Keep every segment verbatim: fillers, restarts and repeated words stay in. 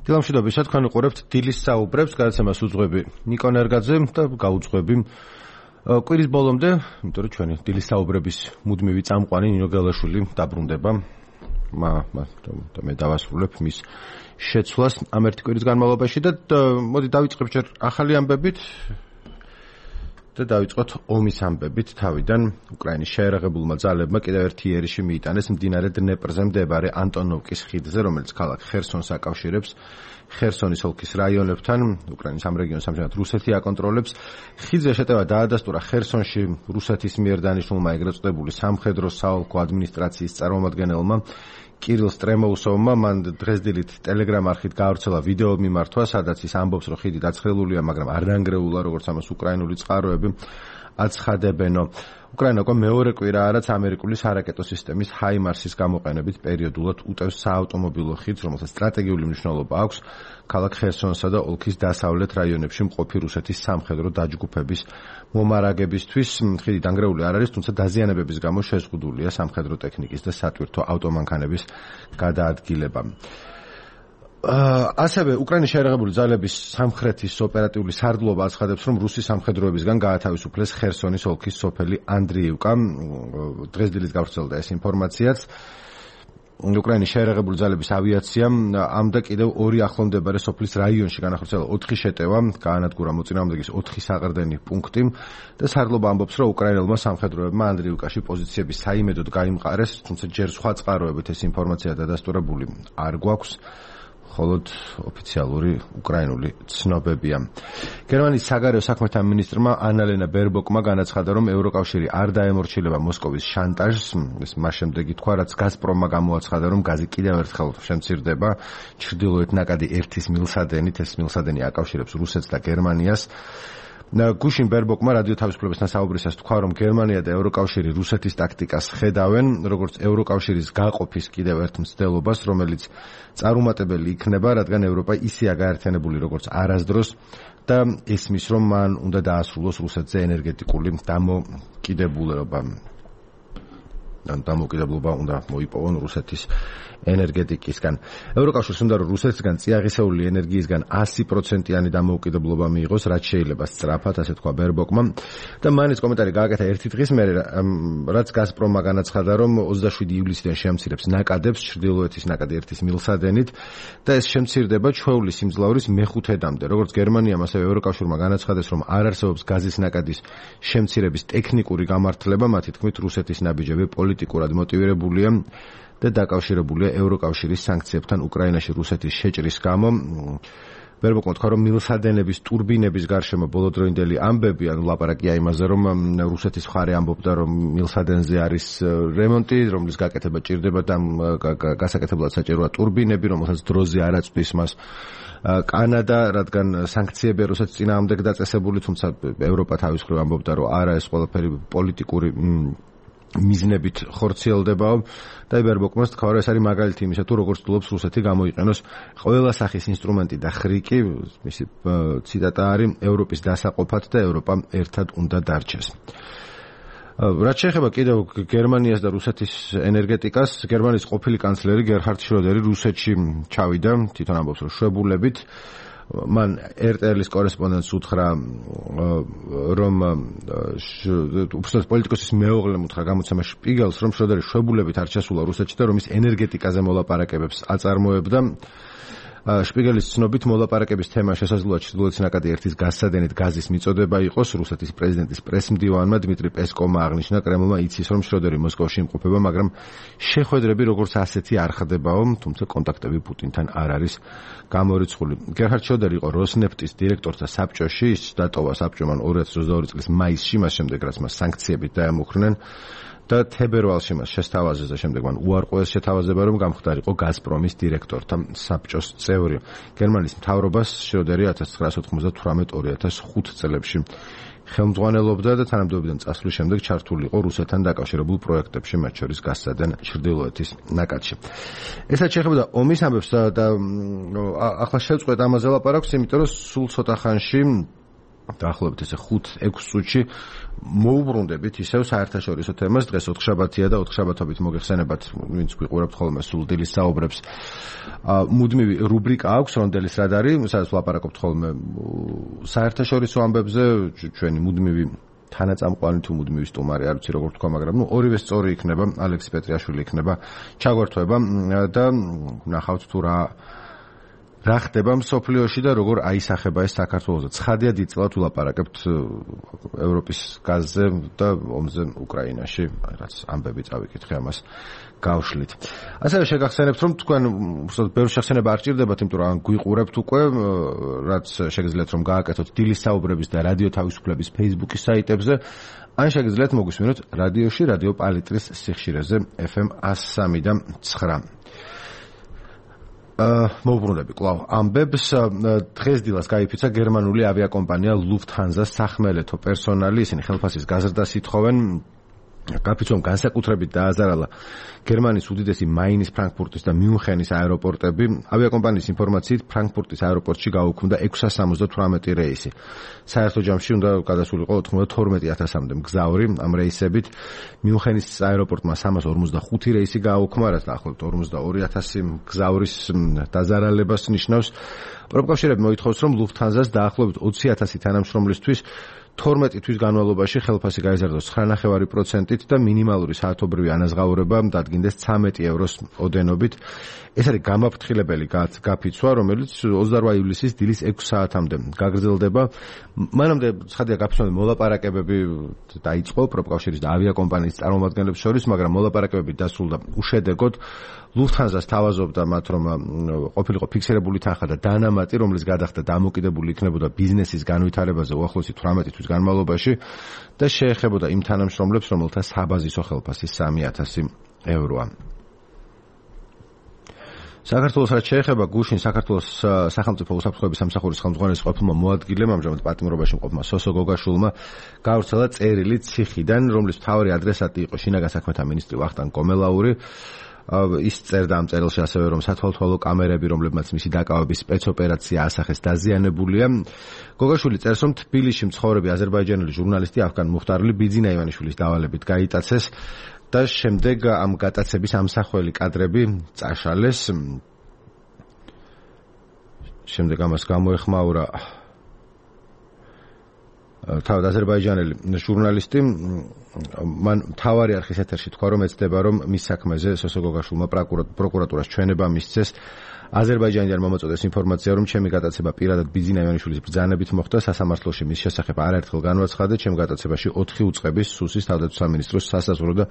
დილამშვიდობისა, თქვენ უყურებთ დილის საუბრებს, გადაცემას უძღვები ნიკო ნერგაძე და გაუძღვები კვირის ბოლომდე, იმიტომ რომ ჩვენი დილის საუბრების მუდმივი წამყვანი ნინო გელაშვილი დაბრუნდება. მე დავასრულებ მის შეცვლას ამ ერთი კვირის განმავლობაში და მოდი დავიწყებ ჯერ ახალი ამბებით და დავიწყოთ ომის ამბებით. თავიდან უკრაინის შეერაღებულმა ძალებმა კიდევ ერთი იერიში მიიტანეს მდინარე დნეპრზე მდებარე ანტონოვკის ხიდზე, რომელიც ქალაქ ხერსონს აკავშირებს ხერსონის ოლქის რაიონებთან. უკრაინის ამ რეგიონს ამჟამად რუსეთი აკონტროლებს. ხიდზე შეტევა დაადასტურა ხერსონში რუსეთის მიერ დანიშნულმა ეგრეთ წოდებული სამხედრო საოლქო ადმინისტრაციის წარმომადგენელმა კირილ სტრემოუსოვმა. მან დღესდილით ტელეგრამ არხით გაავრცელა ვიდეო მიმართვა, სადაც ის ამბობს, რომ ხიდი დაცხელულია, მაგრამ არ დანგრეულა, როგორც ამას უკრაინული წყაროები აცხადებენო. უკრაინა უკვე მეორე კვირაა, რაც ამერიკული სარაკეტო სისტემის ჰაიმარსის გამოყენებით პერიოდულად უტევს საავტომობილო ხიდს, რომელსაც სტრატეგიული მნიშვნელობა აქვს ქალაქ ხერსონსა და ოლქის დასავლეთ რაიონებში მყოფი რუსეთის სამხედრო დაჯგუფების მომარაგებისთვის. ხიდი დანგრეული არ არის, თუმცა დაზიანებების გამო შეზღუდულია სამხედრო ტექნიკის და სატვირთო ავტომანქანების გადაადგილება. ასევე უკრაინის შეერაღებული ძალების სამხრეთის ოპერატიული სარდლობა აცხადებს, რომ რუსი სამხედროებისგან გაათავისუფლეს ხერსონის ოლქის სოფელი ანდრიევკა. დღესდილით გავრცელდა ეს ინფორმაციაც. უკრაინის შეერაღებული ძალების ავიაციამ ამ და კიდევ ორი ახლომდებარე სოფლის რაიონში განახორციელა ოთხი შეტევა, გაანადგურა მოწინააღმდეგის ოთხი საყრდენი პუნქტი და სარდლობა ამბობს, რომ უკრაინელმა სამხედროებმა ანდრიევკაში პოზიციების საიმედოდ გაიმყარეს, თუმცა ჯერ სხვა წყაროებით ეს ინფორმაცია დადასტურებული არ გვაქვს. холод ოფიციალური უკრაინული ცნობებია. გერმანიის საგარეო საქმეთა მინისტრმა ანალენა ბერბოკმა განაცხადა, რომ ევროკავშირი არ დაემორჩილება მოსკოვის შანტაჟს. ეს მას შემდეგ ითქვა, რაც გაზპრომმა გამოაცხადა, რომ გაზი კიდევ ერთხელ შემცირდება. ჩრდილოეთ ნაკადი ერთის მილსადენით, ეს მილსადენი აკავშირებს რუსეთს და გერმანიას. გუშინ ბერბოკმა რადიო თავისუფლებასთან საუბრისას თქვა, რომ გერმანია და ევროკავშირი რუსეთის ტაქტიკას ხედავენ, როგორც ევროკავშირის გაყოფის კიდევ ერთ მცდელობას, რომელიც წარუმატებელი იქნება, რადგან ევროპა ისეა გაერთიანებული როგორც არასდროს და ესმის, რომ მან უნდა დაასრულოს რუსეთზე ენერგეტიკული დამოკიდებულება. დამოკიდებულება უნდა მოიპოვონ რუსეთის ენერგეტიკისგან. ევროკავშირს უნდა რომ რუსეთისგან წიაღისეული ენერგიისგან ასი პროცენტიანი დამოუკიდებლობა მიიღოს, რაც შეიძლება სწრაფად, ასე თქვა ბერბოკმა. და მან ეს კომენტარი გააკეთა ერთი დღის მერე, რაც გაზპრომმა განაცხადა, რომ ოცდაშვიდი ივლისიდან შემცირებს ნაკადებს ჩრდილოეთის ნაკადი ერთის მილსადენით და ეს შემცირდება ჩვეულის სიმძლავრის მეხუთედამდე. როგორც გერმანიამ, ასევე ევროკავშირმა განაცხადეს, რომ არ არსებობს გაზის ნაკადის შემცირების ტექნიკური გამართლება, მათი თქმით რუსეთის ნაბიჯები პოლიტიკურად მოტივირებულია და დაკავშირებულია ევროკავშირის სანქციებთან უკრაინაში რუსეთის შეჭრის გამო. ბერბოკმა თქვა, რომ მილსადენების ტურბინების გარშემო ბოლოდროინდელი ამბები, ანუ ლაპარაკია იმაზე, რომ რუსეთის მხარე ამბობდა, რომ მილსადენზე არის რემონტი, რომლის გაკეთება ჭირდება და გასაკეთებლად საჭიროა ტურბინები, რომელსაც დროზე არ აწვდის მას კანადა, რადგან სანქციები რუსეთის წინააღმდეგ დაწესებული, თუმცა ევროპა თავის მხრივ ამბობდა, რომ არა, ეს ყველაფერი პოლიტიკური მიზნებით ხორციელდებაო და ბერბოკმა თქვა, რომ ეს არის მაგალითი იმისა, თუ როგორც ცდილობს რუსეთი გამოიყენოს ყველა სახის ინსტრუმენტი და ხრიკი, მისი ციტატა არის, ევროპის დასაყოფად და ევროპა ერთად უნდა დარჩეს. რაც შეეხება კიდევ გერმანიას და რუსეთის ენერგეტიკას, გერმანიის ყოფილი კანცლერი გერჰარდ შროდერი რუსეთში ჩავიდა, თვითონ ამბობს, რომ შვებულებით. მან er te el-ის კორესპონდენტს უთხრა, რომ უბრალოდ პოლიტიკოსის მეუღლემ უთხრა გამოცემა შპიგელს, რომ შროდერი შვებულებით არ ჩასულა რუსეთში და რომ ის ენერგეტიკაზე მოლაპარაკებებს აწარმოებდა. შპიგელის ცნობით მოლაპარაკების თემა შესაძლოა ჩრდილოეთის ნაკადი ერთის გასცადენით გაზის მიწოდება იყოს. რუსეთის პრეზიდენტის პრესმდივანმა დმიტრი პესკოვმა აღნიშნა, კრემლმა იცის, რომ შროდერი მოსკოვში იმყოფება, მაგრამ შეხვედრები როგორც ასეთი არ ხდებაო, თუმცა კონტაქტები პუტინთან არ არის გამორიცხული. გერჰარდ შროდერი იყო როსნეფტის დირექტორთა საბჭოში, ის დატოვა საბჭომ ორი ათას ოცდაორი წლის მაისში, მას შემდეგ რაც მას სანქციებით დაემუქრნენ და თებერვალში მას შესთავაზეს და შემდეგ მან უარყვეს შეთავაზება, რომ გამხდარიყო გაზპრომის დირექტორთა საბჭოს წევრი. გერმანიის მთავრობას შროდერი ათას ცხრაასი ოთხმოცდათვრამეტ ორი ათას ხუთ წლებში ხელმძღვანელობდა და თანამდებობიდან წასვლის შემდეგ ჩართული იყო რუსეთთან დაკავშირებულ პროექტებში, მათ შორის გასცადენ ჩრდილოეთის ნაკადში. ესაც შეეხება ომის ამბებს და ახლა შევწყვეტ ამაზე ლაპარაკს, იმიტომ რომ სულ ცოტა ხანში დაახლოებით ესე ხუთ ექვს წუთში მოუბრუნდებით ისევ საერთაშორისო თემას. დღეს ოთხშაბათია და ოთხშაბათობით მოგეხსენებათ, ვინც გვიყურებთ ხოლმე სულ დილის საუბრებს. მუდმივი რუბრიკა აქვს რონდელის რადარი, სადაც ვლაპარაკობთ ხოლმე საერთაშორისო ამბებზე, ჩვენი მუდმივი თანაწამყვანი თუ მუდმივი სტუმარი, არ ვიცი როგორ თქვა, მაგრამ ნუ ორივე სწორი იქნება, ალექსი პეტრიაშვილი იქნება ჩაგვერთვება და ნახავთ თუ რა რა ხდება მსოფლიოში და როგორ აისახება ეს საქართველოზე. ცხადია დიდწილად ვლაპარაკებთ ევროპის გაზზე და ომზე უკრაინაში, რაც ამბები წავიკითხე ამას გავშლით. ასევე შეგახსენებთ, რომ თქვენ უბრალოდ ბევრი შეხსენება არ ჭირდებათ, იმიტომ რომ გვიყურებთ უკვე, რაც შეგიძლიათ რომ გააკეთოთ დილის საუბრების და რადიო თავისუფლების Facebook-ის საიტებზე, ან შეგიძლიათ მოგვისმინოთ რადიოში, რადიო პალიტრის სიხშირეზე ეფ ემ εκατო სამი და ცხრა. მოვუბრუნდები კვლავ ამბებს. დღეს დილას გაიფიცა გერმანული ავიაკომპანია Lufthansa-ს სახმელეთო პერსონალი, ისინი ხელფასის გაზრდას ითხოვენ. გაფიცვამ განსაკუთრებით დააზარალა გერმანიის უდიდესი მაინის, ფრანკფურტის და მიუნხენის აეროპორტები. ავიაკომპანიის ინფორმაციით ფრანკფურტის აეროპორტში გაუქმდა ექვსსა სამოცდათვრამეტი რეისი. საერთო ჯამში უნდა გადასულიყო ოცდათორმეტი ათასამდე მგზავრი. ამ რეისებით მიუნხენის აეროპორტმა სამას ორმოცდახუთი რეისი გააუქმა, რაც დაახლოებით ორმოცდაორი ათასი მგზავრის დაზარალებას ნიშნავს. პროფკავშირები მოითხოვს, რომ Lufthansa-ს დაახლოებით ოცი ათასი თანამშრომლისთვის თორმეტი თვის განმავლობაში ხელფასი გაიზარდოს ცხრა ნახევარი პროცენტით და მინიმალური საათობრივი ანაზღაურება დადგინდეს ცამეტი ევროს ოდენობით. ეს არის გამაფრთხილებელი გაფიცვა, რომელიც ოცდაორი ივლისის დილის ექვს საათამდე გაგრძელდება. მანამდე ცხადია გაფიცვამდე მოლაპარაკებები დაიწყო პროფკავშირის და ავიაკომპანიის წარმომადგენლებს შორის, მაგრამ მოლაპარაკებები დასრულდა უშედეგოდ. Lufthansa-ს თავაზობდა მათ, რომ ყოფილიყო ფიქსირებული თანხა და დანამატი, რომლის გადახდა დამოკიდებული იქნებოდა ბიზნესის განვითარებაზე უახლოესი თვრამეტი თვის განმავლობაში და შეეხებოდა იმ თანამშრომლებს, რომელთა საბაზისო ხელფასი სამი ათასი ევროა. საქართველოს რაც შეეხება გუშინ საქართველოს სახელმწიფო უსაფრთხოების სამსახურის ხელმძღვანელის ყოფილმა მოადგილემ, ამჟამად პატიმრობაში მყოფმა სოსო გოგაშვილმა გავრცელა წერილი ციხიდან, რომლის მთავარი ადრესატი იყო შინაგან საქმეთა მინისტრი ვახტანგ კომელაური. ის წერდა ამ წერილში ასევე, რომ სათვალთვალო კამერები, რომლებმაც მისი დაკავების სპეცოპერაცია ასახეს, დაზიანებულია. გოგაშვილი წერს, რომ თბილისში მცხოვრები აზერბაიჯანელი ჟურნალისტი ავგან მუხტარული ბიძინა ივანიშვილის დავალებით გაიტაცეს და შემდეგ ამ გატაცების ამსახველი კადრები წაშალეს. შემდეგ ამას გამოეხმაურა თავად აზერბაიჯანელი ჟურნალისტი. მან მთავარი არხის ეთერში თქვა, რომ ეცდება, რომ მის საქმეზე სოსო გოგაშვილმა პროკურატურას ჩვენება მისცეს. აზერბაიჯანიდან მომაწოდეს ინფორმაცია, რომ ჩემი გატაცება პირადად ბიძინა ივანიშვილის ბრძანებით მოხდა. სასამართლოში მის შესახებ არაერთხელ განვაცხადე. ჩემ გატაცებაში ოთხი უწყების, სუსის, თავდაცვის სამინისტროს, სასაზღვრო და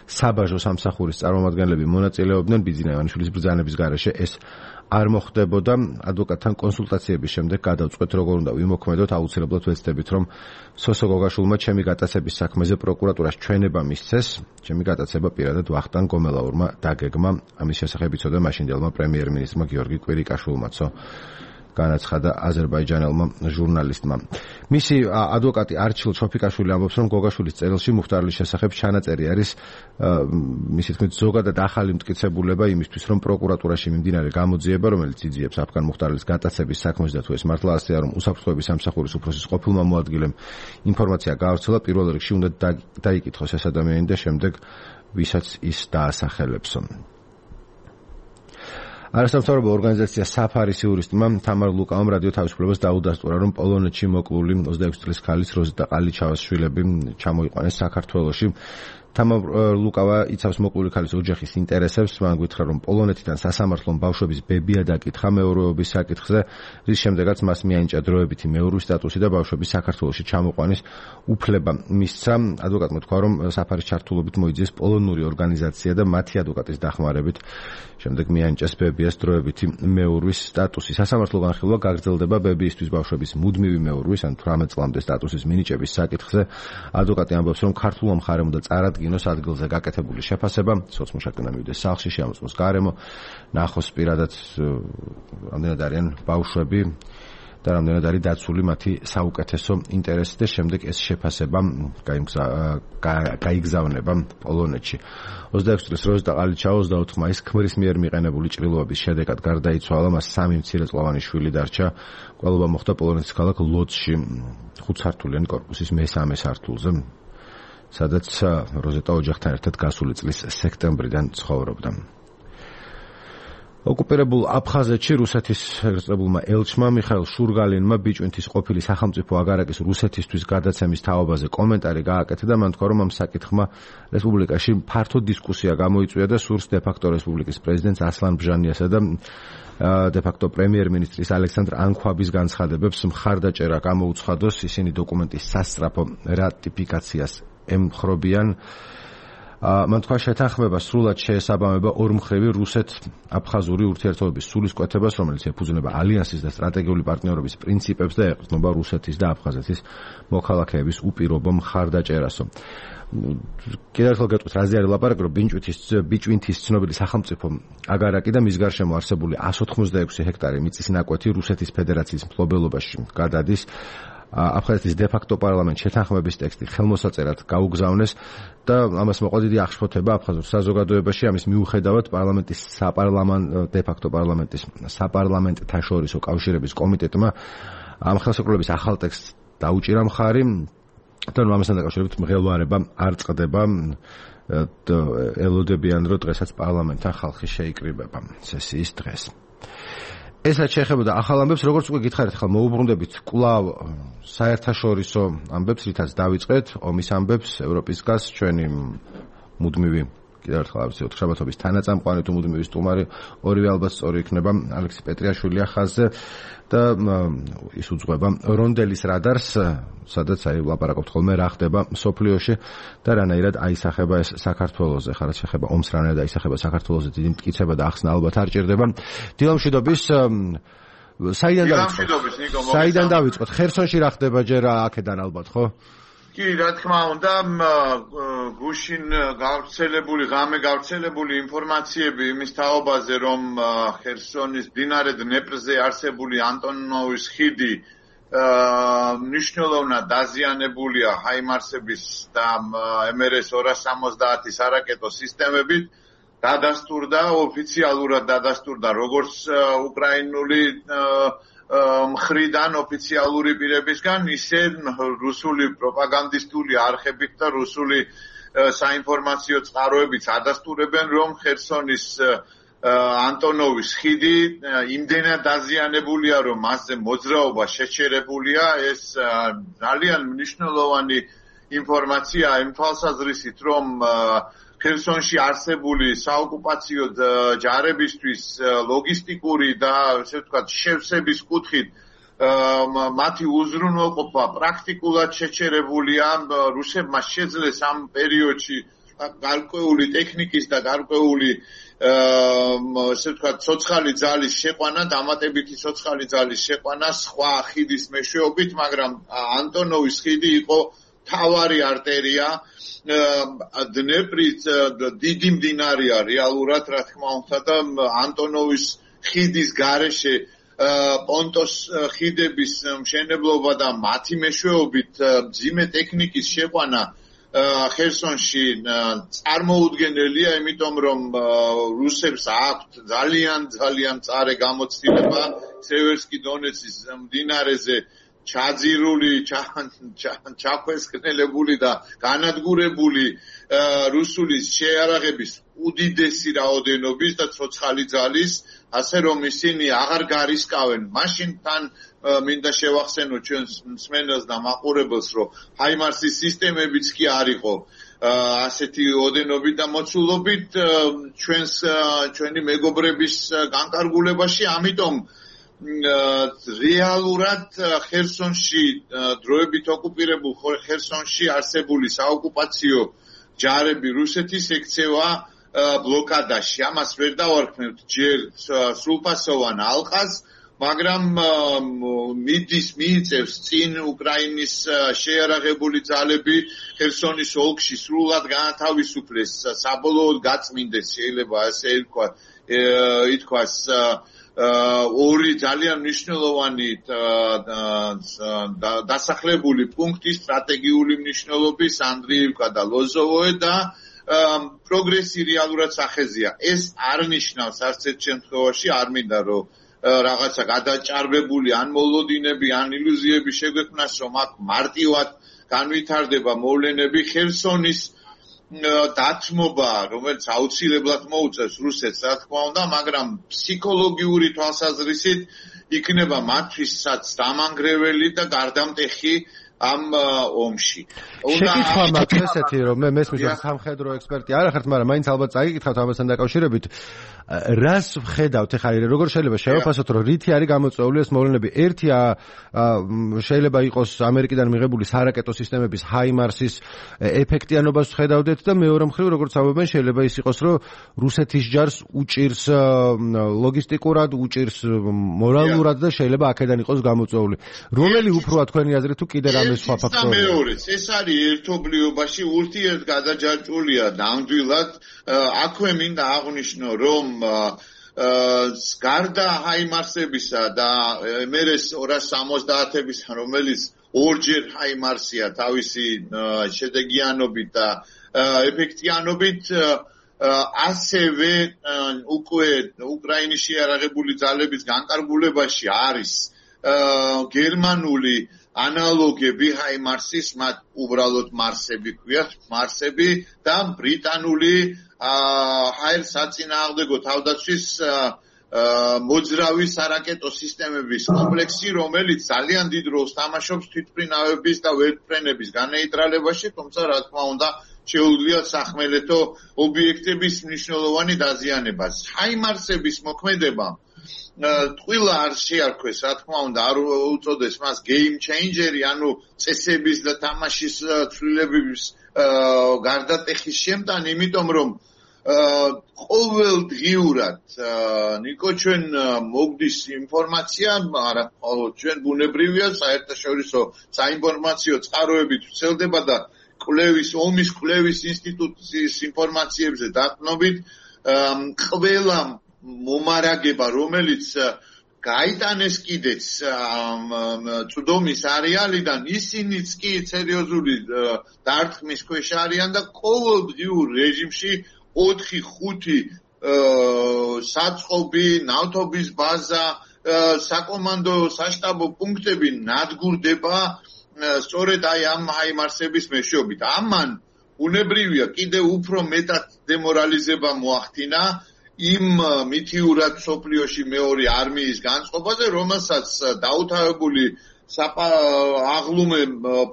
საბაჟო სამსახურის წარმომადგენლები მონაწილეობდნენ ბიძინა ივანიშვილის ბრძანების გარეშე. ეს არ მოხდებოდა. ადვოკატთან კონსულტაციების შემდეგ გადავწყვეტ, როგორ უნდა ვიმოქმედოთ. აუცილებლად ვეცდებით, რომ სოსო გოგაშვილმა ჩემი გატაცების საქმეზე პროკურატურას ჩვენება მისცეს. ჩემი გატაცება პირადად ვახტანგ კომელაურმა დაგეგმა. ამის შესახებ იცოდა მაშინდელმა პრემიერ-მინისტრმა გიორგი კვირიკაშვილმაცო, განაცხადა აზერბაიჯანელმა ჟურნალისტმა. მისი ადვოკატი არჩილ ჩოფიკაშვილი ამბობს, რომ გოგაშვილის წერილში მუხტარლის შესახებ ჩანაწერი არის მისი თქმით ზოგადად ახალი მტკიცებულება იმისთვის, რომ პროკურატურაში მიმდინარე გამოძიება, რომელიც იძიებს ავგან მუხტარლის გატაცების საქმეს და თუ ეს მართლა ასეა, რომ უსაფრთხოების სამსახურის უფროსის ყოფილმა მოადგილემ ინფორმაცია გაავრცელა, პირველ რიგში უნდა დაიკითხოს ეს ადამიანი და შემდეგ ვისაც ის დაასახელებს. არასამთავრობო ორგანიზაცია საფარის იურისტმა თამარ ლუკავამ რადიო თავისუფლებას დაუდასტურა, რომ პოლონეთში მოკლული ოცდაექვსი წლის ქალის როზიტა ყალიჩავას შვილები ჩამოიყვანეს საქართველოში. თამარ ლუკავა იცავს მოკლული ქალის ოჯახის ინტერესებს. მან გითხრა, რომ პოლონეთიდან სასამართლომ ბავშვების ბებია დაკითხა მეურვეობის საკითხზე, რის შემდეგაც მას მიანიჭა დროებითი მეურვლის სტატუსი და ბავშვების საქართველოში ჩამოყვანის უფლება მისცა. ადვოკატმა თქვა, რომ საფარის ჩართულობით მოიძიეს პოლონური ორგანიზაცია და მათი ადვოკატის დახმარებით შემდეგ მიანიჭეს ბებიას დროებითი მეურვის სტატუსი. სასამართლო განხილვა გაგრძელდება ბებიისთვის ბავშვების მუდმივი მეურვის ან თვრამეტ წლამდე სტატუსის მინიჭების საკითხზე. ადვოკატი ამბობს, რომ ქართულმა მხარემ უნდა წარადგინოს ადგილზე გაკეთებული შეფასება, სოცმუშაკნა მივიდეს სახლში, შეამოწმოს გარემო, ნახოს პირადად რამდენად არიან ბავშვები და რამდენად არის დაცული მათი საუკეთესო ინტერესი და შემდეგ ეს შეფასება გაიგზავნება პოლონეთში. ოცდაექვსი წლის როზიტა ყალიჩაო ოცდაოთხ მაისს ქმრის მიერ მიყენებული ჭრილობების შედეგად გარდაიცვალა, მას სამი მცირეწლოვანი შვილი დარჩა. კვლევა მოხდა პოლონეთის ქალაქ ლოცში ხუთსართულიანი კორპუსის მესამე სართულზე, სადაც როზიტა ოჯახთან ერთად გასული წლის სექტემბრიდან ცხოვრობდა. ოკუპირებულ აფხაზეთში რუსეთის ეგრეთწოდებულმა ელჩმა მიხაილ შურგალინმა ბიჭვინთის ყოფილი სახელმწიფო აგარაკის რუსეთისთვის გადაცემის თაობაზე კომენტარი გააკეთა და მან თქვა, რომ ამ საკითხმა რესპუბლიკაში ფართო დისკუსია გამოიწვია და სურს დე-ფაქტო რესპუბლიკის პრეზიდენტს ასლან ბჟანიასა და დე-ფაქტო პრემიერ-მინისტრის ალექსანდრ ანქვაბის განცხადებებს მხარდაჭერა გამოუცხადოს. ისინი დოკუმენტის სასწრაფო რატიფიკაციას ემხრობიან. მან თქვა, შეთანხმება სრულად შეესაბამება ორმხრივი რუსეთ-აფხაზური ურთიერთობების სულისკვეთებას, რომელიც ეფუძნება ალიანსის და სტრატეგიული პარტნიორობის პრინციპებს და ეყრდნობა რუსეთის და აფხაზეთის მოქალაქეების უპირობო მხარდაჭერასო. კიდევ ერთხელ გეტყვით, რაზე არის ლაპარაკი, რომ ბიჭვინთის ცნობილი სახელმწიფო აგარაკი და მის გარშემო არსებული εκατს ოცდაექვსი ჰექტარი მიწის ნაკვეთი რუსეთის ფედერაციის მფლობელობაში გადადის. აფხაზეთის დე-ფაქტო პარლამენტ შეთანხმების ტექსტი ხელმოსაწერად გაუგზავნეს და ამას მოყვა დიდი აღშფოთება აფხაზურ საზოგადოებაში. ამის მიუხედავად პარლამენტის საპარლამენტო დე-ფაქტო პარლამენტის საპარლამენტთა შორისო კავშირების კომიტეტმა ამ ხელშეკრულების ახალ ტექსტს დაუჭირა მხარი და ამასთან დაკავშირებით მღელვარება არ წყდება. ელოდებიან, რომ დღესაც პარლამენტთან ხალხი შეიკრიბება სესიის დღეს. ესაც შეეხებოდა ახალ ამბებს, როგორც უკვე გითხარით, ხალ მოუბრუნდებით კვლავ საერთაშორისო ამბებს, რითაც დავიწყეთ ომის ამბებს, ევროპის გას ჩვენი მუდმივი კიდევ ერთხელ ავსიოთ შაბათობის თანაწამყვანი თუ მუდმივი სტუმარი ორივე ალბათ სწორი იქნება ალექსი პეტრიაშვილი ხაზზე და ის უძღვება რონდელის რადარს, სადაც აი ლაპარაკობთ ხოლმე რა ხდება სოფლიოში და რანაირად აისახება ეს საქართველოზე, ხარ შეეხება ომს რანაირად აისახება საქართველოზე, დიდი მტკიცება და ახსნა ალბათ არ ჭირდება. დილამშვიდობის საიდან დავიწყოთ? საიდან დავიწყოთ? ხერსონში რა ხდება ჯერ აქედან ალბათ, ხო? კი, რა თქმა უნდა, გუშინ გავრცელებული, ღამე გავრცელებული ინფორმაციები იმის თაობაზე, რომ ხერსონის მდინარე დნეპრზე არსებული ანტონოვის ხიდი მნიშვნელოვნად დაზიანებულია ჰაიმარსების და ემ ер ეს ორას სამოცდაათის არაკეტო სისტემებით, დადასტურდა, ოფიციალურად დადასტურდა როგორც უკრაინული მხრიდან ოფიციალური პირებისგან, ისე რუსული პროპაგანდისტული არხებით და რუსული საინფორმაციო წყაროებიც ადასტურებენ, რომ ხერსონის ანტონოვის ხიდი იმდენად დაზიანებულია, რომ მასზე მოძრაობა შეჩერებულია. ეს ძალიან მნიშვნელოვანი ინფორმაცია იმ თვალსაზრისით, რომ ხერსონში არსებული საოკუპაციო ჯარებისთვის ლოგისტიკური და ესე ვთქვათ შევსების კუთხით მათი უზრუნველყოფა პრაქტიკულად შეჩერებულია. რუსებმა შეძლეს ამ პერიოდში გარკვეული ტექნიკის და გარკვეული ესე ვთქვათ ცოცხალი ძალის შეყვანა, დამატებითი ცოცხალი ძალის შეყვანა სხვა ხიდის მეშვეობით, მაგრამ ანტონოვის ხიდი იყო თავარი არტერია. დნეპრის დიდი მდინარეა რეალურად, რა თქმა უნდა, და ანტონოვის ხიდის გარეშე პონტოს ხიდების მშენებლობა და მათი მეშვეობით მძიმე ტექნიკის შეყვანა ხერსონში წარმოუდგენელია, იმიტომ რომ რუსებს აქვთ ძალიან ძალიან მწარე გამოცდილება სევერსკი დონეცის მდინარეზე ჩაძირული, ჩაქვესკნელებული და განადგურებული რუსული შეიარაღების უდიდესი რაოდენობის და ცოცხალი ძალის, ასე რომ ისინი აღარ გარისკავენ. მაშინ თან მინდა შევახსენო ჩვენს მსმენელს და მაყურებელს, რომ ჰაიმარსის სისტემებიც კი არ იყო ასეთი ოდენობით და მოცულობით ჩვენს ჩვენი მეგობრების განკარგულებაში, ამიტომ რეალურად ხერსონში დროებით ოკუპირებულ ხერსონში არსებული საოკუპაციო ჯარები რუსეთის ექცევა ბლოკადაში. ამას ვერ დავარქმევთ ჯერ სრულფასოვან ალყას, მაგრამ მიდის მიიწევს წინ უკრაინის შეიარაღებული ძალები ხერსონის ოლქში სრულად განათავისუფლეს, საბოლოოდ გაწმინდეს, შეიძლება ასე ითქვას, ორი ძალიან მნიშვნელოვანი დასახლებული პუნქტი სტრატეგიული მნიშვნელობის ანდრიივკა და ლოზოვოე და პროგრესი რეალურად სახეზია. ეს არ ნიშნავს არც ერთ შემთხვევაში არ მინდა რომ რაღაცა გადაჭარბებული ან მოლოდინები ან ილუზიები შეგვექმნას რომ აქ მარტივად განვითარდება მოვლენები. ხერსონის დათმობა, რომელიც აუცილებლად მოუწევს რუსეთს, რა თქმა უნდა, მაგრამ ფსიქოლოგიური თვალსაზრისით იქნება მათთვისაც დამანგრეველი და გარდამტეხი ამ ომში. შეკითხვა მაქვს ესეთი, რომ მე მესმის რომ სამხედრო ექსპერტი არ ახართ, მაგრამ მაინც ალბათ წაიკითხავთ ამასთან დაკავშირებით. რას ვხედავთ ახლა როგორ შეიძლება შევაფასოთ რომ რითი არის გამოწვეული ეს მოვლენები? ერთი შეიძლება იყოს ამერიკიდან მიღებული სარაკეტო სისტემების ჰაიმარსის ეფექტიანობას ვხედავდეთ და მეორე მხრივ როგორც ამბობენ შეიძლება ის იყოს რომ რუსეთის ჯარს უჭირს ლოგისტიკურად, უჭირს მორალურად და შეიძლება აქედან იყოს გამოწვეული. რომელი უფროა თქვენი აზრით თუ კიდე რამე სხვა ფაქტორია? მეორეც ეს არის ერთობლიობაში ურთიერთგადაჯაჭვულია ნამდვილად. აქვე მინდა აღვნიშნო რომ გარდა ჰაიმარსებისა და მერეს ორას სამოცდაათებისა, რომელიც ორჯერ ჰაიმარსია თავისი შედეგიანობით და ეფექტიანობით, ასევე უკვე უკრაინის შეიარაღებული ძალების განკარგულებაში არის გერმანული ანალოგები ჰაიმარსის, მათ უბრალოდ მარსები ქვიათ, მარსები და ბრიტანული ჰაერსაწინააღმდეგო თავდაცვის მოძრავი სარაკეტო სისტემების კომპლექსი, რომელიც ძალიან დიდ როლს თამაშობს თვითმფრინავების და ვერტმფრენების განეიტრალებაში, თუმცა რა თქმა უნდა შეუძლია სახმელეთო ობიექტების მნიშვნელოვანი დაზიანება. ჰაიმარსების მოქმედება ტყუილა არ შეარქვეს, რა თქმა უნდა, არ უწოდეს მას game changer-ი, ანუ წესების და თამაშის ცვლილებების გარდატეხის შემტანი, იმიტომ რომ ყოველდღიურად ნიკო ჩვენ მოგდის ინფორმაცია, არა, ჩვენ ბუნებრივია საერთაშორისო საინფორმაციო წყაროებით ვრცელდება და კვლევის ომის კვლევის ინსტიტუტის ინფორმაციებზე დაყნობით ყველა მომარაგება, რომელიც გაიტანეს კიდეც წვდომის არეალიდან, ისინიც კი სერიოზული დარტყმის ქვეშ არიან და ყოველდღიურ რეჟიმში ოთხი ხუთი საწყობი, ნავთობის ბაზა, საკომანდო საშტაბო პუნქტები ნადგურდება სწორედ აი ამ ჰაიმარსების მეშვეობით. ამან უნებრივია კიდევ უფრო მეტად დემორალიზება მოახდინა იმ მითიურად სოფლიოში მეორე არმიის განწყობაზე, რომელსაც დაუთავებული აღლუმე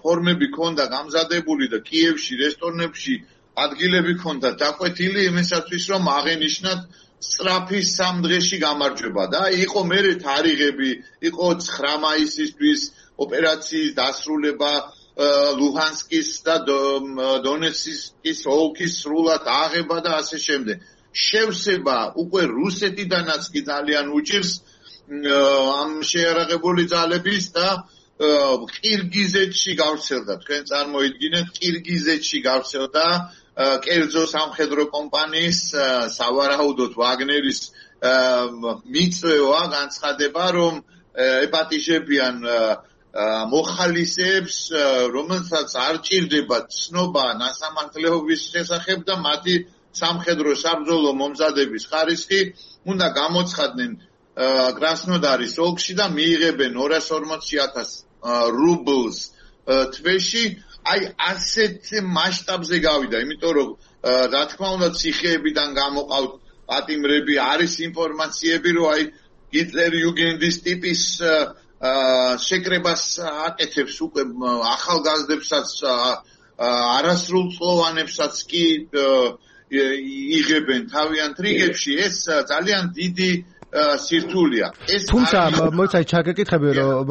ფორმები ქონდა გამზადებული და კიევში, რესტორნებში ადგილები ქონდა დაკვეთილი იმისათვის, რომ აღენიშნათ სწრაფი სამ დღეში გამარჯვება და იყო მერე თარიღები, იყო ცხრა მაისისთვის ოპერაციის დასრულება ლუჰანსკის და დონეცკის ოლქის სრულად აღება და ასე შემდეგ. შევსება უკვე რუსეთიდანაც კი ძალიან უჭირს ამ შეიარაღებული ძალების და ყირგიზეთში გავრცელდა. თქვენ წარმოიდგინეთ, ყირგიზეთში გავრცელდა კერძო სამხედრო კომპანიის სავარაუდოდ ვაგნერის მიწვევა, განცხადება, რომ ეპატიჟებიან მოხალისეებს, რომელსაც არ ჭირდება ცნობა ნასამართლეობის შესახებ და მათი სამხედრო საბრძოლო მომზადების ხარისხი უნდა გამოცხადდნენ კრასნოდარის ოლქში და მიიღებენ ორას ორმოცი ათას რუბლს თვეში. აი ასეთ მასშტაბზე გავიდა, იმიტომ რომ რა თქმა უნდა ციხეებიდან გამოყავთ პატიმრები, არის ინფორმაციები, რომ აი ჰიტლერ იუგენდის ტიპის შეკრებას აკეთებს უკვე ახალგაზრდებსაც, არასრულწლოვანებსაც კი იღებენ თავიანთ რიგებში. ეს ძალიან დიდი სირთულეა. ეს თუმცა მოიცაი ჩაგეკითხები რომ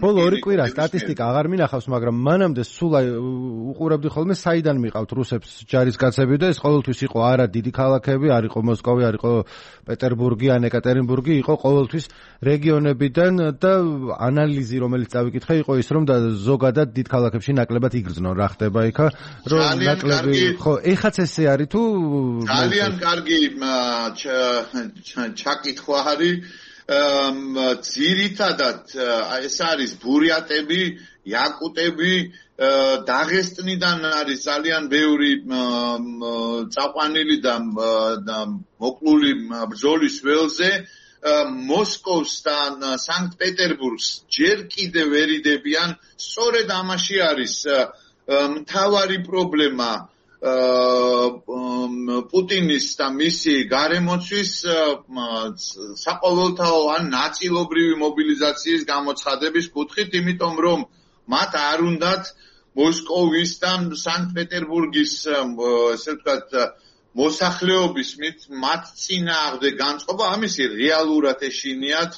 ბოლო ორი კვირა სტატისტიკა აღარ მინახავს, მაგრამ მანამდე სულ უყურებდი ხოლმე საიდან მიყავთ რუსებს ჯარისკაცები და ეს ყოველთვის იყო არა დიდი ქალაქები, არ იყო მოსკოვი, არ იყო პეტერბურგი ან ეკატერინბურგი, იყო ყოველთვის რეგიონებიდან და ანალიზი რომელიც წავიკითხე იყო ის რომ და ზოგადად დიდ ქალაქებში ნაკლებად იგრძნო რა ხდება იქა, რომ ნაკლები ხო ეხაც ესე არის თუ ძალიან კარგი ჩაკითხვა არის. ძირითადად ეს არის ბურიატები, იაკუტები, დაღესტნიდან არის ძალიან ბევრი წაყვანილი და მოკლული ბრძოლის ველზე. მოსკოვს და სანქტ-პეტერბურგს ჯერ კიდევ ვერიდებიან, სწორედ ამაში არის მთავარი პრობლემა პუტინის და მისი გარემოცვის საყოველთაო ან ნაწილობრივი მობილიზაციის გამოცხადების კუთხით, იმიტომ რომ მათ არ უნდათ მოსკოვის და სანქტ-პეტერბურგის, ესე ვთქვათ, მოსახლეობის მათ წინააღმდეგ განწყობა, ამისი რეალურად ეშინიათ,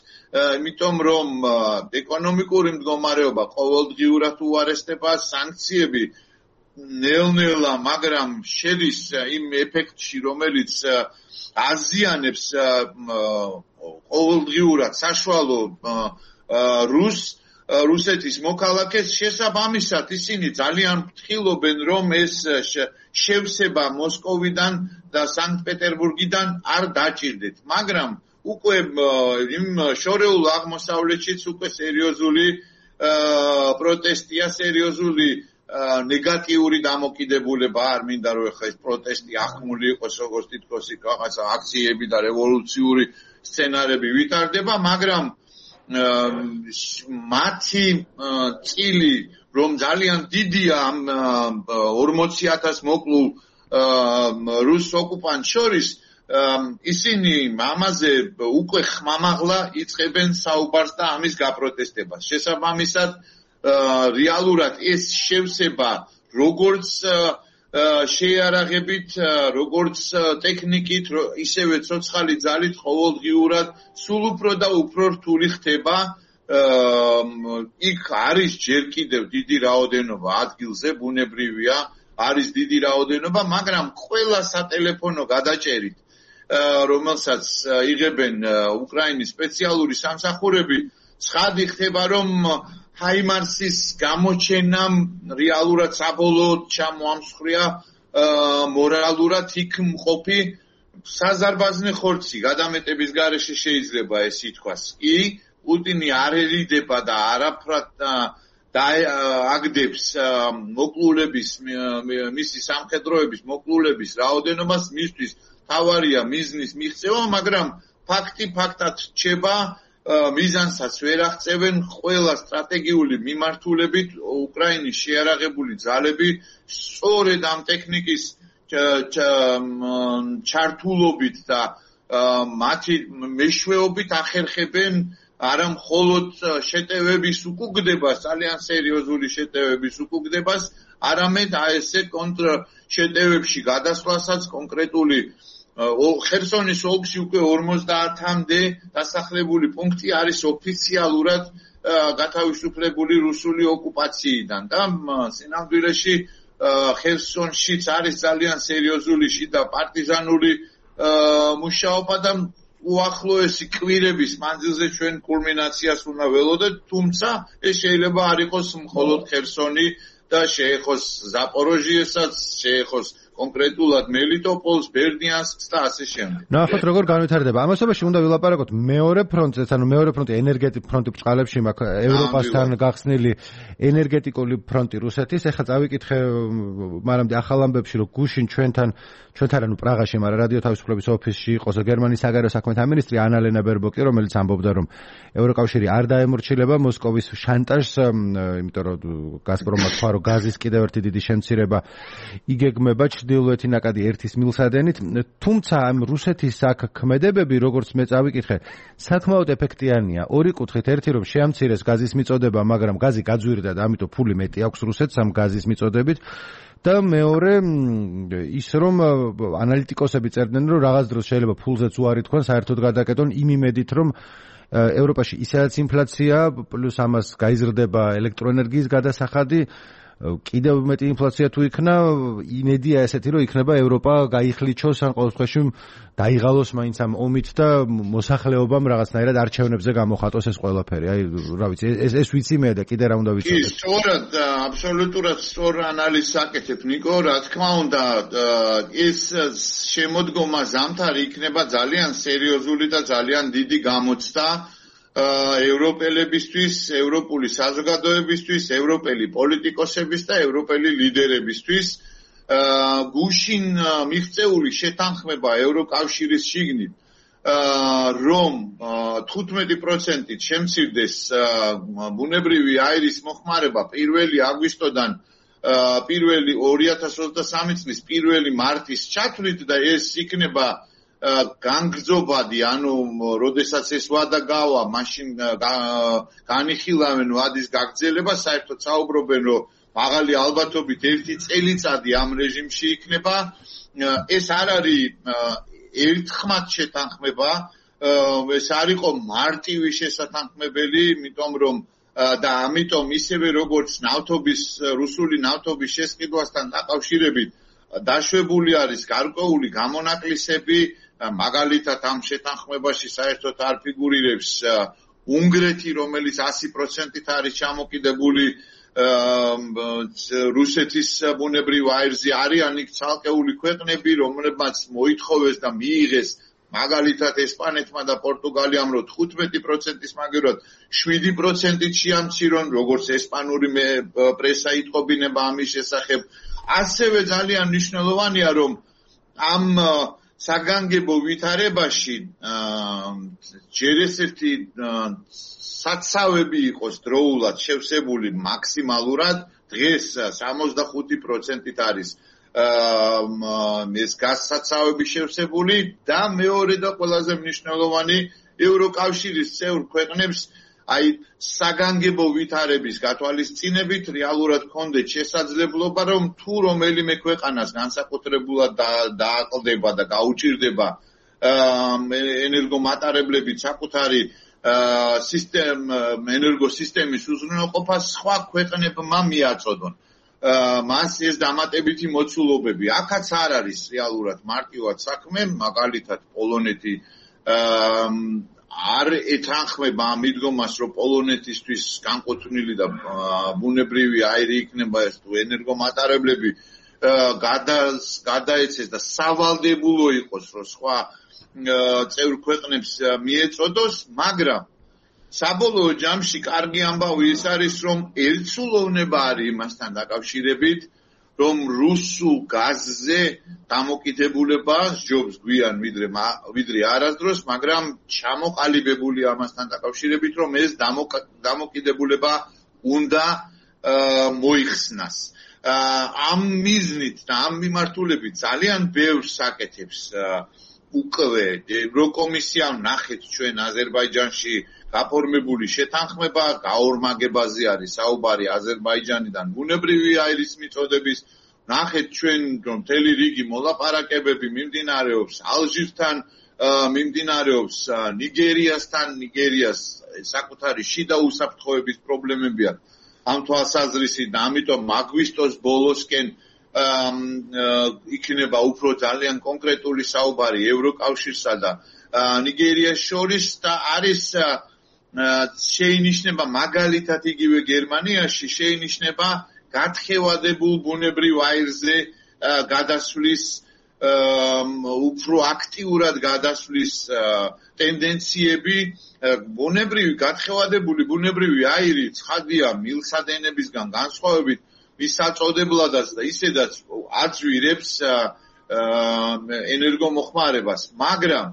იმიტომ რომ ეკონომიკური მდგომარეობა ყოველდღიურად უარესდება, სანქციები ნელ-ნელა, მაგრამ შედის იმ ეფექტში, რომელიც აზიანებს ყოველდღიურად საშუალო რუს რუსეთის მოქალაქეს, შესაბამისად ისინი ძალიან ფრთხილობენ, რომ ეს შევსება მოსკოვიდან და სანქტ-პეტერბურგიდან არ დაჭირდეთ. მაგრამ უკვე იმ შორეულ აღმოსავლეთშიც უკვე სერიოზული პროტესტია, სერიოზული ნეგატიური დამოკიდებულება, არ მინდა რომ ეხლა ეს პროტესტი ახმული იყოს, როგორც თითქოს რაღაცა აქციები და რევოლუციური სცენარები ვითარდება, მაგრამ მათი წილი, რომ ძალიან დიდია ამ ორმოცი ათას მოკლულ რუს ოკუპანტს შორის, ისინი ამაზე უკვე ხმამაღლა იწყებენ საუბარს და ამის გაპროტესტებას. შესაბამისად, რეალურად ეს შევსება როგორც შეიარაღებით, როგორც ტექნიკით, ისევე ცოცხალი ძალით ყოველდღიურად სულ უფრო და უფრო რთული ხდება. იქ არის ჯერ კიდევ დიდი რაოდენობა ადგილზე, ბუნებრივია, არის დიდი რაოდენობა, მაგრამ ყველა სატელეფონო გადაჭერით, რომელსაც იღებენ უკრაინის სპეციალური სამსახურები, ცხადი ხდება, რომ ჰაიმარსის გამოჩენამ რეალურად საბოლოოდ ჩამოამსხვრია მორალურად იქ მყოფი საზარბაზნე ხორცი. გადამეტების გარეშე შეიძლება ეს ითქვას. კი, პუტინი არ ერიდება და არაფრად დააგდებს მოკლულების, მისი სამხედროების მოკლულების რაოდენობას, მისთვის თავარია მიზნის მიღწევა, მაგრამ ფაქტი ფაქტად რჩება, მიზანსაც ვერ აღწევენ. ყველა სტრატეგიული მიმართულებით უკრაინის შეიარაღებული ძალები სწორედ ამ ტექნიკის ჩართულობით და მათი მეშვეობით ახერხებენ არა მხოლოდ შეტევების უკუგდებას, ძალიან სერიოზული შეტევების უკუგდებას, არამედ ესე კონტრშეტევებში გადასვლასაც კონკრეტული ხერსონის ოლქში უკვე ორმოცდაათამდე დასახლებული პუნქტი არის ოფიციალურად გათავისუფლებული რუსული ოკუპაციიდან და სინამდვილეში ხერსონშიც არის ძალიან სერიოზული შიდა პარტიზანული მუშაობა და უახლოესი კვირების მანძილზე ჩვენ კულმინაციას უნდა ველოდეთ, თუმცა ეს შეიძლება არ იყოს მხოლოდ ხერსონი და შეეხოს ზაპოროჟიესაც, შეეხოს კონკრეტულად მელიტოპოლს, ბერდიანსკს და ასე შემდეგ. ნახოთ როგორ განვითარდება. ამასობაში უნდა ვილაპარაკოთ მეორე ფრონტზე, ანუ მეორე ფრონტი ენერგეტიკ ფრონტი ბწყალებში მაქვს ევროპასთან გახსნილი ენერგეტიკული ფრონტი რუსეთის. ეხლა წავიკითხე მანამდე ახალ ამბებში, რომ გუშინ ჩვენთან ჩვენთან ანუ პრაღაში, მაგრამ რადიო თავისუფლების ოფისში იყოს გერმანიის საგარეო საქმეთა მინისტრი ანალენა ბერბოკი, რომელიც ამბობდა, რომ ევროკავშირი არ დაემორჩილება მოსკოვის შანტაჟს, იმიტომ რომ გაზპრომმა თქვა, რომ გაზის კიდევ ერთი დიდი შემცირება იგეგმება ჩრდილოეთი ნაკადი ერთის მილსადენით, თუმცა ამ რუსეთის აქ ქმედებები, როგორც მე წავიკითხე, საკმაოდ ეფექტიანია. ორი კუთხით, ერთი რომ შეამცირეს გაზის მიწოდება, მაგრამ გაზი გაძვირდა და ამიტომ ფული მეტი აქვს რუსეთს ამ გაზის მიწოდებით. და მეორე ის რომ ანალიტიკოსები წერდნენ, რომ რაღაც დროს შეიძლება ფულზეც უარი თქვან, საერთოდ გადაკეტონ იმ იმედით, რომ ევროპაში ისედაც ინფლაცია, პლუს ამას გაიზრდება ელექტროენერგიის გადასახადი, კიდევ მეტი ინფლაცია თუ იქნა, იმედია ესეთი, რომ იქნება ევროპა გაიხლიჩოს ან ყოველ შემთხვევაში დაიღალოს მაინც ამ ომით და მოსახლეობამ რაღაცნაირად არჩევნებზე გამოხატოს ეს ყველაფერი. აი, რა ვიცი, ეს ეს ვიცი მე და კიდე რა უნდა ვიცოდეთ. კი, სწორად, აბსოლუტურად სწორ ანალიზს აკეთებ, ნიკო, რა თქმა უნდა, ეს შემოდგომა ზამთარი იქნება ძალიან სერიოზული და ძალიან დიდი გამოცდა ევროპელებისთვის, ევროპული საზოგადოებისთვის, ევროპელი პოლიტიკოსების და ევროპელი ლიდერებისთვის. გუშინ მიღწეული შეთანხმება ევროკავშირის შიგნით, რომ თხუთმეტი პროცენტით შემცირდეს ბუნებრივი აირის მოხმარება პირველი აგვისტოდან პირველი ორი ათას ოცდასამი წლის პირველი მარტის ჩათვლით და ეს იქნება განგრძობადი, ანუ როდესაც ეს ვადა გავა, მაშინ განიხილავენ ვადის გაგრძელება, საერთოდ საუბრობენ, რომ მაღალი ალბათობით ერთი წელიწადი ამ რეჟიმში იქნება. ეს არ არის ერთხმად შეთანხმება, ეს არ იყო მარტივი შესათანხმებელი, იმიტომ რომ და ამიტომ ისევე როგორც ნავთობის რუსული ნავთობის შესყიდვასთან დაკავშირებით დაშვებული არის გარკვეული გამონაკლისები, მაგალითად ამ შეთანხმებაში საერთოდ არ ფიგურირებს უნგრეთი, რომელიც ასი პროცენტით არის ჩამოკიდებული რუსეთის ბუნებრივ აირზე, არიან იქ ცალკეული ქვეყნები, რომლებმაც მოითხოვეს და მიიღეს მაგალითად ესპანეთმა და პორტუგალიამ, რომ თხუთმეტი პროცენტის მაგერად შვიდი პროცენტით შეამცირონ, როგორც ესპანური პრესა იტყობინება ამის შესახებ. ასევე ძალიან მნიშვნელოვანია, რომ ამ საგანგებო ვითარებაში ჯერ ესეთი საცავები იყოს დროულად შევსებული მაქსიმალურად, დღეს სამოცდახუთი პროცენტით არის ეს გასაცავები შევსებული და მეორე და ყველაზე მნიშვნელოვანი ევროკავშირის წევრ ქვეყნებს აი საგანგებო ვითარების გათვალისწინებით რეალურად ჰქონდეთ შესაძლებლობა, რომ თუ რომელიმე ქვეყანას განსაკუთრებულად დააკლდება და გაუჭირდება ენერგომატარებლებით საკუთარი სისტემ ენერგოსისტემის უზრუნველყოფა, სხვა ქვეყნებმა მიაწოდონ. მას ეს დამატებითი მოცულობები. აქაც არ არის რეალურად მარტივად საქმე, მაგალითად პოლონეთი არ ეთანხმება ამ მიდგომას, რომ პოლონეთისთვის განკუთვნილი და ბუნებრივი აირი იქნება ეს თუ ენერგომატარებლები გადაეცეს და სავალდებულო იყოს, რომ სხვა წევრ ქვეყნებს მიეწოდოს, მაგრამ საბოლოო ჯამში კარგი ამბავი ის არის, რომ ერთსულოვნება არის იმასთან დაკავშირებით, რომ რუსულ გაზზე დამოკიდებულება სჯობს გვიან ვიდრე ვიდრე არასდროს, მაგრამ ჩამოყალიბებული ამასთან დაკავშირებით, რომ ეს დამოკიდებულება უნდა მოიხსნას. ამ მიზნით და ამ მიმართულებით ძალიან ბევრს აკეთებს უკვე ევროკომისიამ, ნახეთ ჩვენ აზერბაიჯანში გაფორმებული შეთანხმება, გაორმაგებაზე არის საუბარი აზერბაიჯანიდან ბუნებრივი აირის მიწოდების, ნახეთ ჩვენ რომ მთელი რიგი მოლაპარაკებები მიმდინარეობს ალჟირთან, მიმდინარეობს ნიგერიასთან, ნიგერიას საკუთარი შიდა უსაფრთხოების პრობლემები აქვს ამ თვალსაზრისით და ამიტომ აგვისტოს ბოლოსკენ იქნება უფრო ძალიან კონკრეტული საუბარი ევროკავშირსა და ნიგერიას შორის და არის შეინიშნება მაგალითად იგივე გერმანიაში შეინიშნება გათხევადებულ ბუნებრივ აირზე გადასვლის უფრო აქტიურად გადასვლის ტენდენციები. ბუნებრივი გათხევადებული ბუნებრივი აირი ცხადია მილსადენებისგან განსხვავებით მის საწოდებლადაც და ისედაც აწვირებს ენერგომოხმარებას, მაგრამ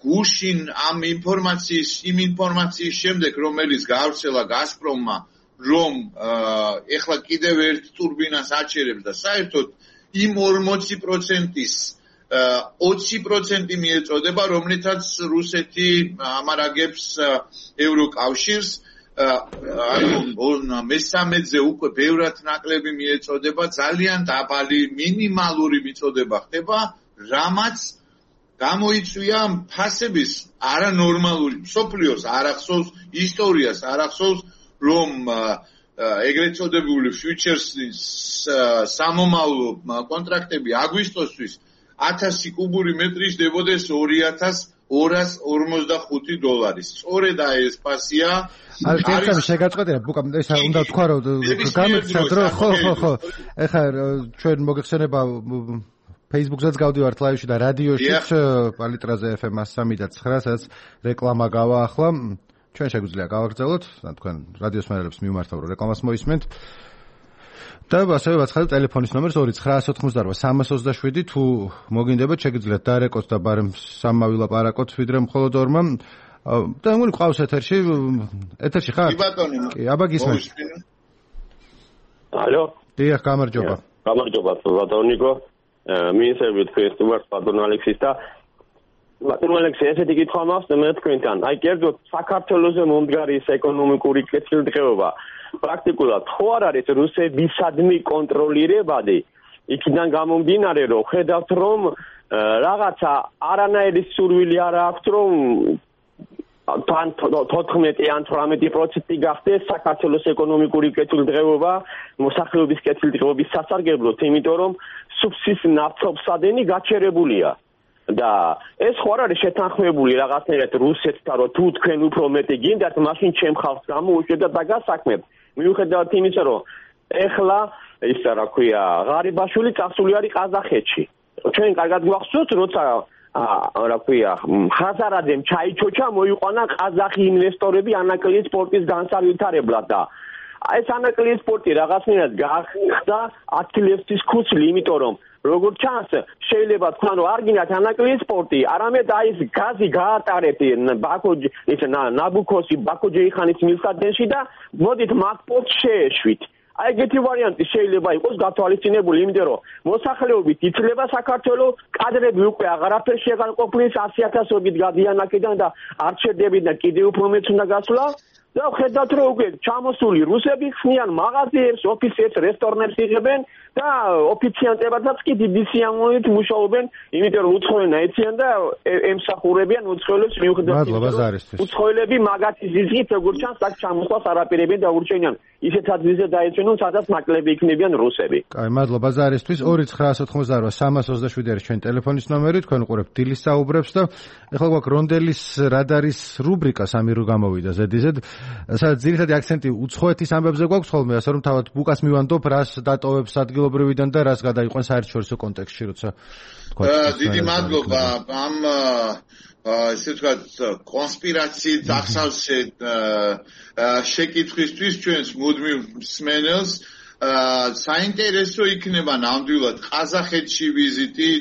გუშინ ამ ინფორმაციის იმ ინფორმაციის შემდეგ, რომელიც გაავრცელა გაზპრომმა, რომ ეხლა კიდევ ერთ ტურბინას აჩერებს და საერთოდ იმ ორმოცი პროცენტის ოცი პროცენტი მიეწოდება, რომლითაც რუსეთი ამარაგებს ევროკავშირს, ანუ მესამედზე უკვე ბევრად ნაკლები მიეწოდება, ძალიან დაბალი მინიმალური მიწოდება ხდება, რამაც გამოიწვია ფასების არანორმალური, მსოფლიოს არ ახსოვს, ისტორიას არ ახსოვს, რომ ეგრეთ წოდებული futures-ის სამომავლო კონტრაქტები აგვისტოსთვის ათასი კუბური მეტრი ჯდებოდეს ორი ათას ორას ორმოცდახუთი დოლარის. სწორედ აი ეს ფასია არის შეგაწყვეტინა ბუკა ეს უნდა თქვა რომ გამიცდათ რომ ხო ხო ხო ეხლა ჩვენ მოგეხსენება Facebook-ზეც გავდივართ ლაივში და რადიოშიც პალიტრაზე ეფ ემ სამი და ცხრა სადაც რეკლამა გავა ახლა ჩვენ შეგვიძლია გავაგრძელოთ და თქვენ რადიოს მერელებს მიმართავ რომ რეკლამას მოისმენთ და ასევე ვაცხადებ ტელეფონის ნომერს ორი ცხრაასი ოთხმოცდაოთხ სამას ოცდაშვიდი თუ მოგინდებათ შეგიძლიათ დარეკოთ და ბარემ სამმა ვილაპარაკოთ ვიდრე მხოლოდ ორმა და მგონი ყავს ეთერში ეთერში ხარ? კი ბატონო. კი, აბა გისმენთ. ალო. დიახ, გამარჯობა. გამარჯობა, ბატონიკო. მიესწრებით ფესტივალს ბატონ ალექსის და ბატონ ალექსი ესეთი კითხვა მაქვს მე თქვენთან. აი კერძოდ საქართველოს მომდგარი ეს ეკონომიკური კეთილდღეობა პრაქტიკულად ხო არ არის რუსებისადმი კონტროლირებადი? იქიდან გამომდინარე რომ ხედავთ რომ რაღაცა არანაირი სურვილი არ აქვს რომ თან თოთხმეტი ან თვრამეტი პროცენტი გახდეს საქართველოს ეკონომიკური კეთილდღეობა მოსახლეობის კეთილდღეობის სასარგებლოდ, იმიტომ რომ სუბსიდიის ნავთობსადენი გაჩერებულია. და ეს ხო არ არის შეთანხმებული რაღაცნაირად რუსეთთან რომ თუ თქვენ უფრო მეტი გინდათ, მაშინ ჩემ ხალხს გამოუშვეთ და დაგასაქმებთ. მიუხედავად იმისა, რომ ეხლა ის რა ქვია, ღარიბაშვილი წასული არის ყაზახეთში. ჩვენ კარგად გვახსოვთ, როცა რა ქვია, ხაზარაძემ ჩაიჩოჩა მოიყვანა ყაზახი ინვესტორები ანაკლიის პორტის განსავითარებლად და ეს ანაკლიის პორტი რაღაცნაირად გახდა ათქილევსის ქუცლი, იმიტომ რომ როგორც ჩანს, შეიძლება თქვა რომ არ გინდათ ანაკლიის პორტი, არამედ აი ეს გაზი გაატარეთ ბაქო ის ნაბუქოსი ბაქო-ჯეიხანის მილსადენში და მოდით მათ პორტს შეეშვით. აი ეგეთი ვარიანტი შეიძლება იყოს გათვალისწინებული, იმიტომ რომ მოსახლეობით იცლება საქართველოს, კადრები უკვე აღარაფერში აღარ ყოფნის, ასი ათასობით გადიან აქედან და არ ჩერდებით და კიდევ უფრო მეც უნდა გასვლა. და ხედავთ რომ უკვე ჩამოსული რუსები ხსნიან მაღაზიებს, ოფისებს, რესტორნებს იღებენ და ოფიციანტებადაც კი დიდი სიამოვნებით მუშაობენ, იმიტომ რომ უცხოენა ეციან და ემსახურებიან უცხოელებს მიუხედავად უცხოელები მაგათი ზიზღით როგორც ჩანს აქ ჩამოსვლას არაპირებენ და ურჩენიან ისეთ ადგილზე დაეცვენონ, სადაც ნაკლები იქნებიან რუსები. კაი, მადლობა ზარისთვის. ორი ცხრაასი ოთხმოცდაოთხ სამას ოცდაშვიდი არის ჩვენ ტელეფონის ნომერი, თქვენ უყურებთ დილის საუბრებს და ეხლა გვაქვს რონდელის რადარის რუბრიკა სამი რო გამოვიდა ზედიზედ. სადაც ძირითადი აქცენტი უცხოეთის ამბებზე გვაქვს ხოლმე, ასე რომ თავად ბუკას მივანდობ, რას დატოვებს ადგილობრივიდან და რას გადაიყვანს საერთაშორისო კონტექსტში, როცა თქვა. დიდი მადლობა ამ ესე ვთქვათ კონსპირაციით ახსავსე შეკითხვისთვის ჩვენს მუდმივ მსმენელს. საინტერესო იქნება ნამდვილად ყაზახეთში ვიზიტი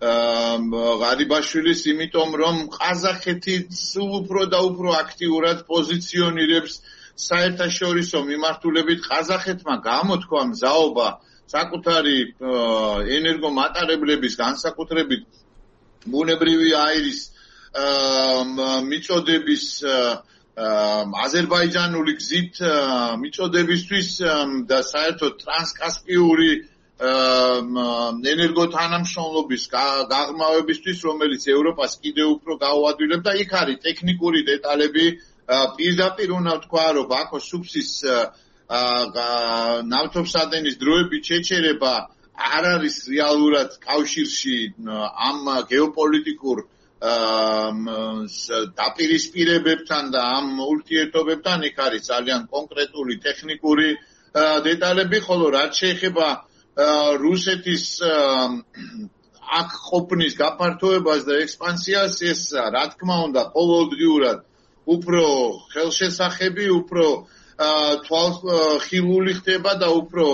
ღარიბაშვილის, იმიტომ რომ ყაზახეთი სულ უფრო და უფრო აქტიურად პოზიციონირებს საერთაშორისო მიმართულებით. ყაზახეთმა გამოთქვა მზაობა საკუთარი ენერგომატარებლების, განსაკუთრებით ბუნებრივი აირის მიწოდების აზერბაიჯანული გზით მიწოდებისთვის და საერთოდ ტრანსკასპიური ენერგოთანამშრომლობის გაღრმავებისთვის, რომელიც ევროპას კიდევ უფრო გაუადვილებდა. იქ არის ტექნიკური დეტალები. პირდაპირ უნდა ვთქვა, რომ ბაქოს სუფსის ნავთობსადენის დროებით შეჩერება არ არის რეალურად კავშირში ამ გეოპოლიტიკურ დაპირისპირებებთან და ამ ურთიერთობებთან. იქ არის ძალიან კონკრეტული ტექნიკური დეტალები, ხოლო რაც შეეხება რუსეთის აქ ყოფნის გაფართოებას და ექსპანსიას, ეს რა თქმა უნდა ყოველდღიურად უფრო ხელშესახები, უფრო თვალხილული ხდება და უფრო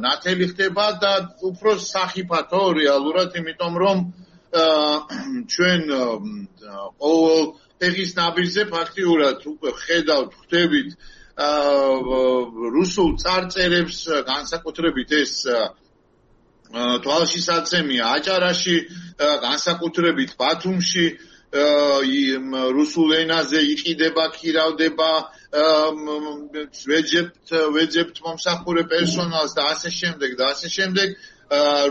ნათელი ხდება და უფრო სახიფათო რეალურად, იმიტომ რომ ჩვენ ყოველ ფეხის ნაბიჯზე ფაქტიურად უკვე ხედავთ, ხვდებით რუსულ წარწერებს, განსაკუთრებით ეს თვალშისაცემია აჭარაში, განსაკუთრებით ბათუმში რუსულ ენაზე იყიდება, ქირავდება, ვეძებთ ვეძებთ მომსახურე პერსონალს და ასე შემდეგ და ასე შემდეგ.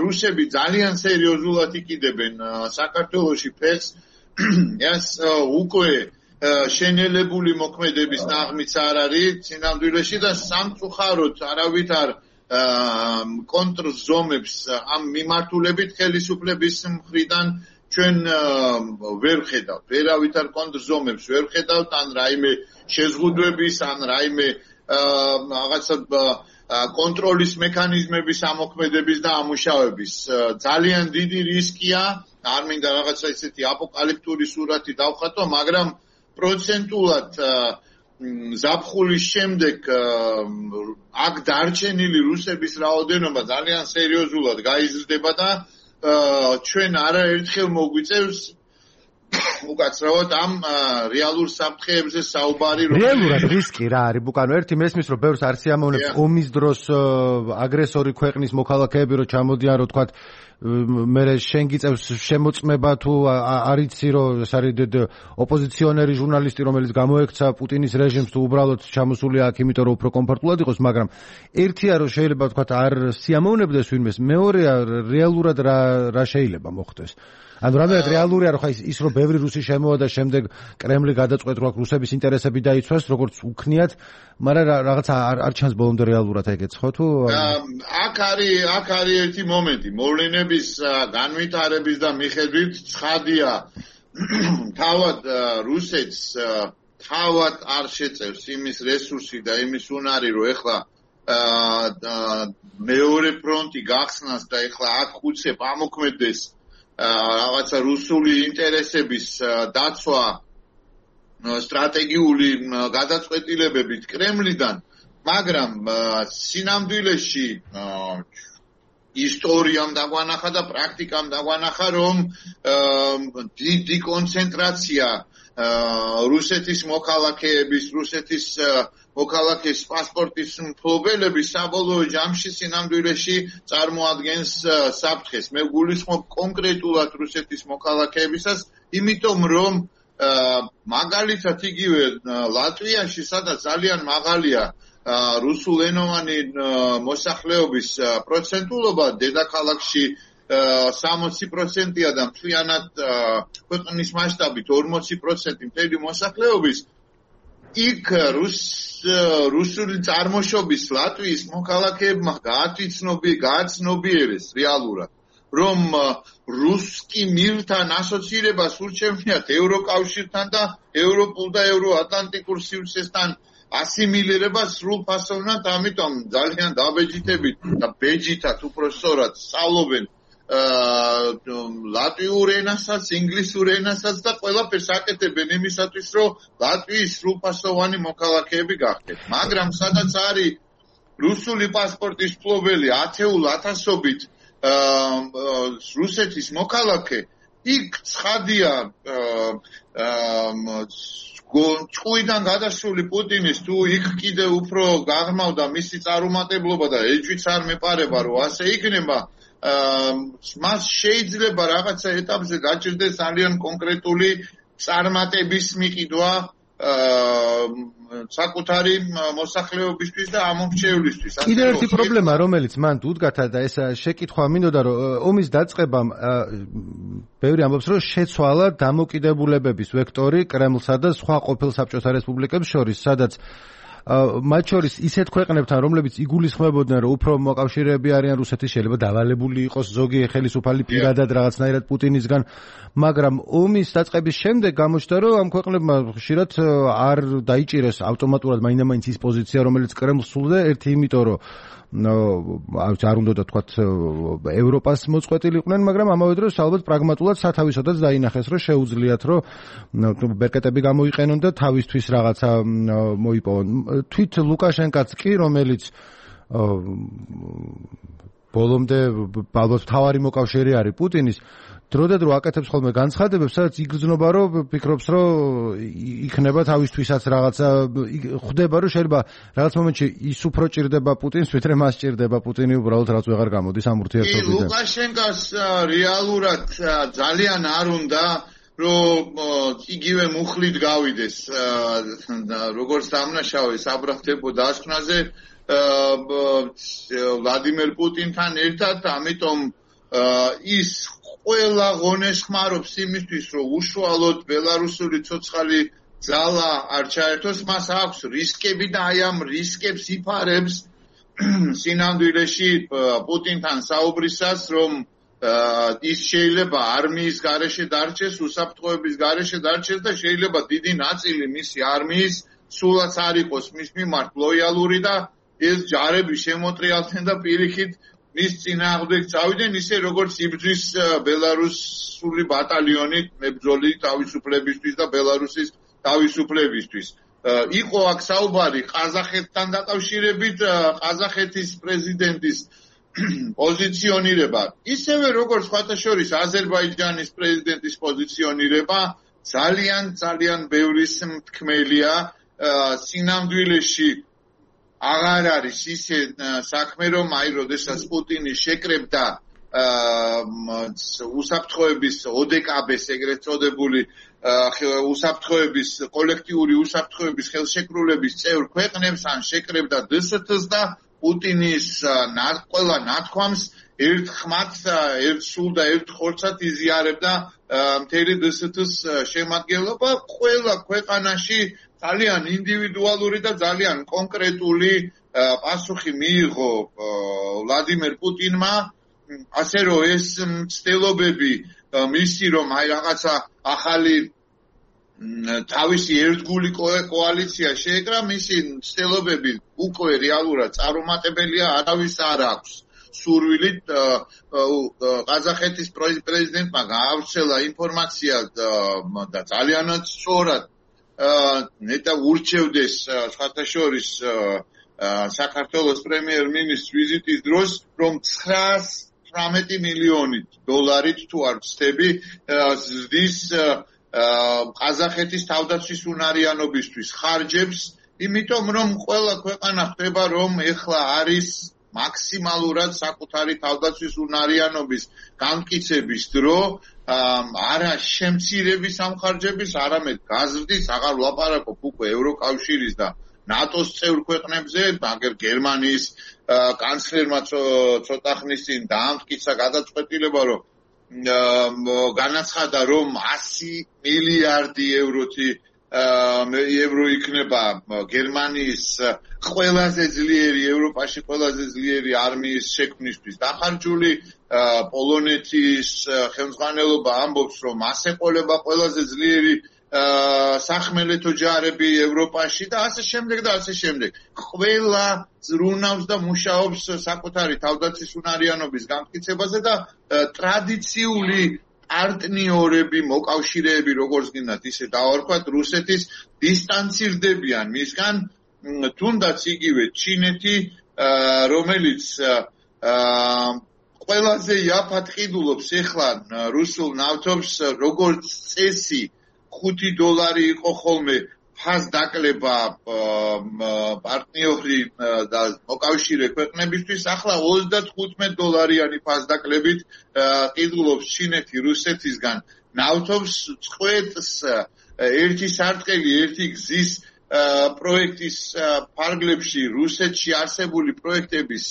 რუსები ძალიან სერიოზულად იყიდებენ საქართველოში ფეხს. ეს უკვე შენელებული მოქმედების ნაღმიც არ არის სინამდვილეში და სამწუხაროდ არავით არ კონტრზომებს ამ მიმართულებით ხელისუფლების მხრიდან ჩვენ ვერ ხედავთ. ვერავით არ კონტრზომებს ვერ ხედავთ ან რაიმე შეზღუდვების ან რაიმე რაღაცა კონტროლის მექანიზმების ამოქმედების და ამუშავების ძალიან დიდი რისკია. არ მინდა რაღაცა ისეთი აპოკალიფტური სურათი დავხატო, მაგრამ პროცენტულად ზაფხულის შემდეგ აქ დარჩენილი რუსების რაოდენობა ძალიან სერიოზულად გაიზრდება და ჩვენ არაერთხელ მოგვიწევს უკაცრავად ამ რეალურ საფრთხეებზე საუბარი რომ რეალურად რისკი რა არის ბუკანო ერთი მესმის რომ ბევრს არ სიამოვნებს ომის დროს აგრესორი ქვეყნის მოქალაქეები რომ ჩამოდიან რომ თქვათ მე შენ გიწევს შემოწმება თუ არიცი რომ ეს არის ოპოზიციონერი ჟურნალისტი რომელიც გამოექცა პუტინის რეჟიმს თუ უბრალოდ ჩამოსულია აქ იმიტომ რომ უფრო კომფორტულად იყოს მაგრამ ერთია რომ შეიძლება თქვათ არ სიამოვნებდეს ვინმეს მეორეა რეალურად რა რა შეიძლება მოხდეს ანუ რამდენად რეალურია რომ ხა ის რომ ბევრი რუსი შემოვა და შემდეგ კრემლი გადაწყვეტ რომ რუსების ინტერესები დაიცვას როგორც უქნიათ მაგრამ რაღაც არ ჩანს ბოლომდე რეალურად ეგეც ხო თუ აქ არის აქ არის ერთი მომენტი მოვლენების განვითარების და მიხედვით ცხადია თავად რუსეთს თავად არ შეწევს იმის რესურსი და იმის უნარი რომ ეხლა მეორე ფრონტი გახსნას და ეხლა აქ უცებ ამოქმედდეს რაღაცა რუსული ინტერესების დაცვა სტრატეგიული გადაწყვეტილებებით კრემლიდან, მაგრამ სინამდვილეში ისტორიამ დაგვანახა და პრაქტიკამ დაგვანახა, რომ დიდი კონცენტრაცია რუსეთის მოქალაქეების, რუსეთის მოქალაქის პასპორტის მფლობელების საბოლოო ჯამში სინამდვილეში წარმოადგენს საფრთხეს. მე გულისხმობ კონკრეტულად რუსეთის მოქალაქეებისას, იმიტომ რომ მაგალითად იგივე ლატვიაში, სადაც ძალიან მაღალია რუსულენოვანი მოსახლეობის პროცენტულობა, დედაქალაქში სამოცი პროცენტია და მთლიანად ქვეყნის მასშტაბით ორმოცი პროცენტი მთელი მოსახლეობის იქ რუსული წარმოშობის ლატვიის მოქალაქეებმა გააცნობიერეს რეალურად, რომ რუსკი მილთან ასოცირებას ურჩევნიათ ევროკავშირთან და ევროპულ და ევროატლანტიკურ სივრცესთან ასიმილირებას სრულფასოვნად, ამიტომ ძალიან დაბეჯითებით და ბეჯითად უფრო სწორად სწავლობენ ლატვიურ ენასაც, ინგლისურ ენასაც და ყველაფერს აკეთებენ იმისათვის, რომ ლატვიის სრულფასოვანი მოქალაქეები გახდეთ. მაგრამ სადაც არის რუსული პასპორტის მფლობელი ათეულ ათასობით რუსეთის მოქალაქე, იქ ცხადია ჭუიდან გადასული პუტინის თუ იქ კიდე უფრო გაღრმავდა მისი წარუმატებლობა და ეჭვიც არ მეპარება, რომ ასე იქნება, მას შეიძლება რაღაცა ეტაპზე გაჭირდეს ძალიან კონკრეტული წარმატების მიყიდვა საკუთარი მოსახლეობისთვის და ამომრჩევლისთვის. კიდევ ერთი პრობლემა, რომელიც მან უდგათა და ეს შეკითხვა მინდოდა, რომ ომის დაწყებამ ბევრი ამბობს, რომ შეცვალა დამოკიდებულებების ვექტორი კრემლსა და სხვა ყოფილ საბჭოთა რესპუბლიკებს შორის, სადაც მათ შორის ისეთ ქვეყნებთან, რომლებიც იგულისხმებოდნენ, რომ უფრო მოკავშირეები არიან რუსეთის, შეიძლება დავალებული იყოს ზოგი ხელისუფალი პირადად რაღაცნაირად პუტინისგან, მაგრამ ომის დაწყების შემდეგ გამოჩნდა, რომ ამ ქვეყნებმა ხშირად არ დაიჭირეს ავტომატურად მაინდა-მაინც ის პოზიცია, რომელიც კრემლს სულდა, ერთი იმიტომ, რომ არ უნდა თქვათ ევროპას მოწყვეტილიყვნენ, მაგრამ ამავე დროს ალბათ პრაგმატულად სათავისოდაც დაინახეს, რომ შეუძლიათ, რომ ბერკეტები გამოიყენონ და თავისთვის რაღაცა მოიპოვონ. თვით ლუკაშენკაც კი, რომელიც ბოლომდე ალბათ თავარი მოკავშირე არის პუტინის, დროდადრო აკეთებს ხოლმე განცხადებებს, სადაც იგრძნობა, რომ ფიქრობს, რომ იქნება თავისთვისაც რაღაცა, ხვდება, რომ შეიძლება რაღაც მომენტში ის უფრო ჭირდება პუტინს, ვიდრე მას ჭირდება პუტინი, უბრალოდ რაც ვეღარ გამოდის ამ ურთიერთობიდან. ლუკაშენკას რეალურად ძალიან არ უნდა რომ იგივე მუხლით გავიდეს, როგორც დამნაშავე საბრალდებო დასკვნაზე ვლადიმერ პუტინთან ერთად, ამიტომ ის ყველა ღონეს ხმარობს იმისთვის, რომ უშუალოდ ბელარუსული ცოცხალი ძალა არ ჩაერთოს, მას აქვს რისკები და აი ამ რისკებს იფარებს სინამდვილეში პუტინთან საუბრისას, რომ ის შეიძლება არმიის გარეშე დარჩეს, უსაფრთხოების გარეშე დარჩეს და შეიძლება დიდი ნაწილი მისი არმიის სულაც არ იყოს მის მიმართ ლოიალური და ეს ჯარები შემოტრიალდნენ და პირიქით მის წინააღმდეგ წავიდნენ, ისე როგორც იბრძვის ბელარუსული ბატალიონი მებრძოლი თავისუფლებისთვის და ბელარუსის თავისუფლებისთვის. იყო აქ საუბარი ყაზახეთთან დაკავშირებით, ყაზახეთის პრეზიდენტის პოზიციონირება, ისევე როგორც სხვათა შორის აზერბაიჯანის პრეზიდენტის პოზიციონირება ძალიან ძალიან ბევრის მთქმელია. სინამდვილეში აღარ არის ისე საქმე, რომ აი როდესაც პუტინი შეკრებდა უსაფრთხოების ოდეკაბეს ეგრეთ წოდებული უსაფრთხოების კოლექტიური უსაფრთხოების ხელშეკრულების წევრ ქვეყნებს ან შეკრებდა დსთ-ს და პუტინის ყველა ნათქვამს ერთ ხმად, ერთ სულ და ერთ ხორცად იზიარებდა მთელი დსთ-ს შემადგენლობა. ყველა ქვეყანაში ძალიან ინდივიდუალური და ძალიან კონკრეტული პასუხი მიიღო ვლადიმერ პუტინმა, ასე რომ ეს მცდელობები მისი, რომ აი რაღაცა ახალი თავისი ერთგული კოალიცია შეეკრა, მისი მცდელობები უკვე რეალურად წარუმატებელია, არავის არ აქვს სურვილი. ყაზახეთის პრეზიდენტმა გაავრცელა ინფორმაცია და ძალიანაც სწორად ნეტა ურჩევდეს სხვათა შორის საქართველოს პრემიერ-მინისტრს ვიზიტის დროს, რომ ცხრაას თვრამეტი მილიონი დოლარით თუ არ ვცდები ზრდის ყაზახეთის თავდაცვის უნარიანობისთვის ხარჯებს, იმიტომ რომ ყველა ქვეყანა ხდება, რომ ეხლა არის მაქსიმალურად საკუთარი თავდაცვის უნარიანობის გამტკიცების დრო, არა შემცირების ამხარჯების, არამედ გაზრდის, აღარ ვლაპარაკობ უკვე ევროკავშირის და ნატოს წევრ ქვეყნებზე, მაგრამ გერმანიის კანცლერმა ცოტა ხნის წინ დაამტკიცა გადაწყვეტილება, რომ განაცხადა, რომ ასი მილიარდი ევროთი ევრო იქნება გერმანიის ყველაზე ძლიერი, ევროპაში ყველაზე ძლიერი არმიის შექმნისთვის დახარჯული. პოლონეთის ხელმძღვანელობა ამბობს, რომ ასე ყოლება ყველაზე ძლიერი სახმელეთო ჯარები ევროპაში და ასე შემდეგ და ასე შემდეგ. ყველა ზრუნავს და მუშაობს საკუთარი თავდაცვის უნარიანობის გამტკიცებაზე და ტრადიციული პარტნიორები, მოკავშირეები, როგორც გინდათ ისე დავარქვათ, რუსეთის დისტანცირდებიან მისგან, თუნდაც იგივე ჩინეთი, რომელიც ყველაზე იაფად ყიდულობს ეხლა რუსულ ნავთობს, როგორც წესი ხუთი დოლარი იყო ხოლმე ფას დაკლება პარტნიორი და მოკავშირე ქვეყნებისთვის, ახლა ოცდათხუთმეტ დოლარიანი ფას დაკლებით ყიდულობს ჩინეთი რუსეთისგან ნავთობს. წყვეტს ერთი სარტყელი, ერთი გზის პროექტის ფარგლებში რუსეთში არსებული პროექტების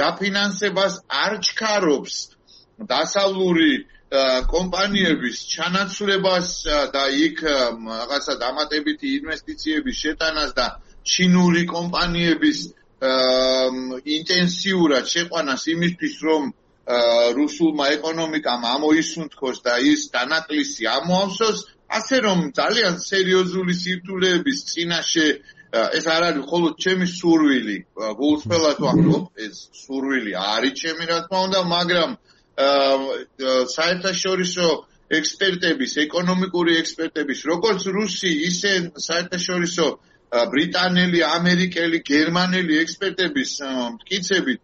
დაფინანსებას არ ჩქარობს დასავლური კომპანიების ჩანაცვლებას და იქ რაღაცა დამატებითი ინვესტიციების შეტანას და ჩინური კომპანიების ინტენსიურად შეყვანას იმისთვის, რომ რუსულმა ეკონომიკამ ამოისუნთქოს და ის დანაკლისი ამოავსოს, ასე რომ ძალიან სერიოზული სირთულეების წინაშე ეს არ არის მხოლოდ ჩემი სურვილი, გულწრფელად ვამბობ, ეს სურვილი არის ჩემი, რა თქმა უნდა, მაგრამ საერთაშორისო ექსპერტების, ეკონომიკური ექსპერტების, როგორც რუსი, ისე საერთაშორისო ბრიტანელი, ამერიკელი, გერმანელი ექსპერტების მტკიცებით,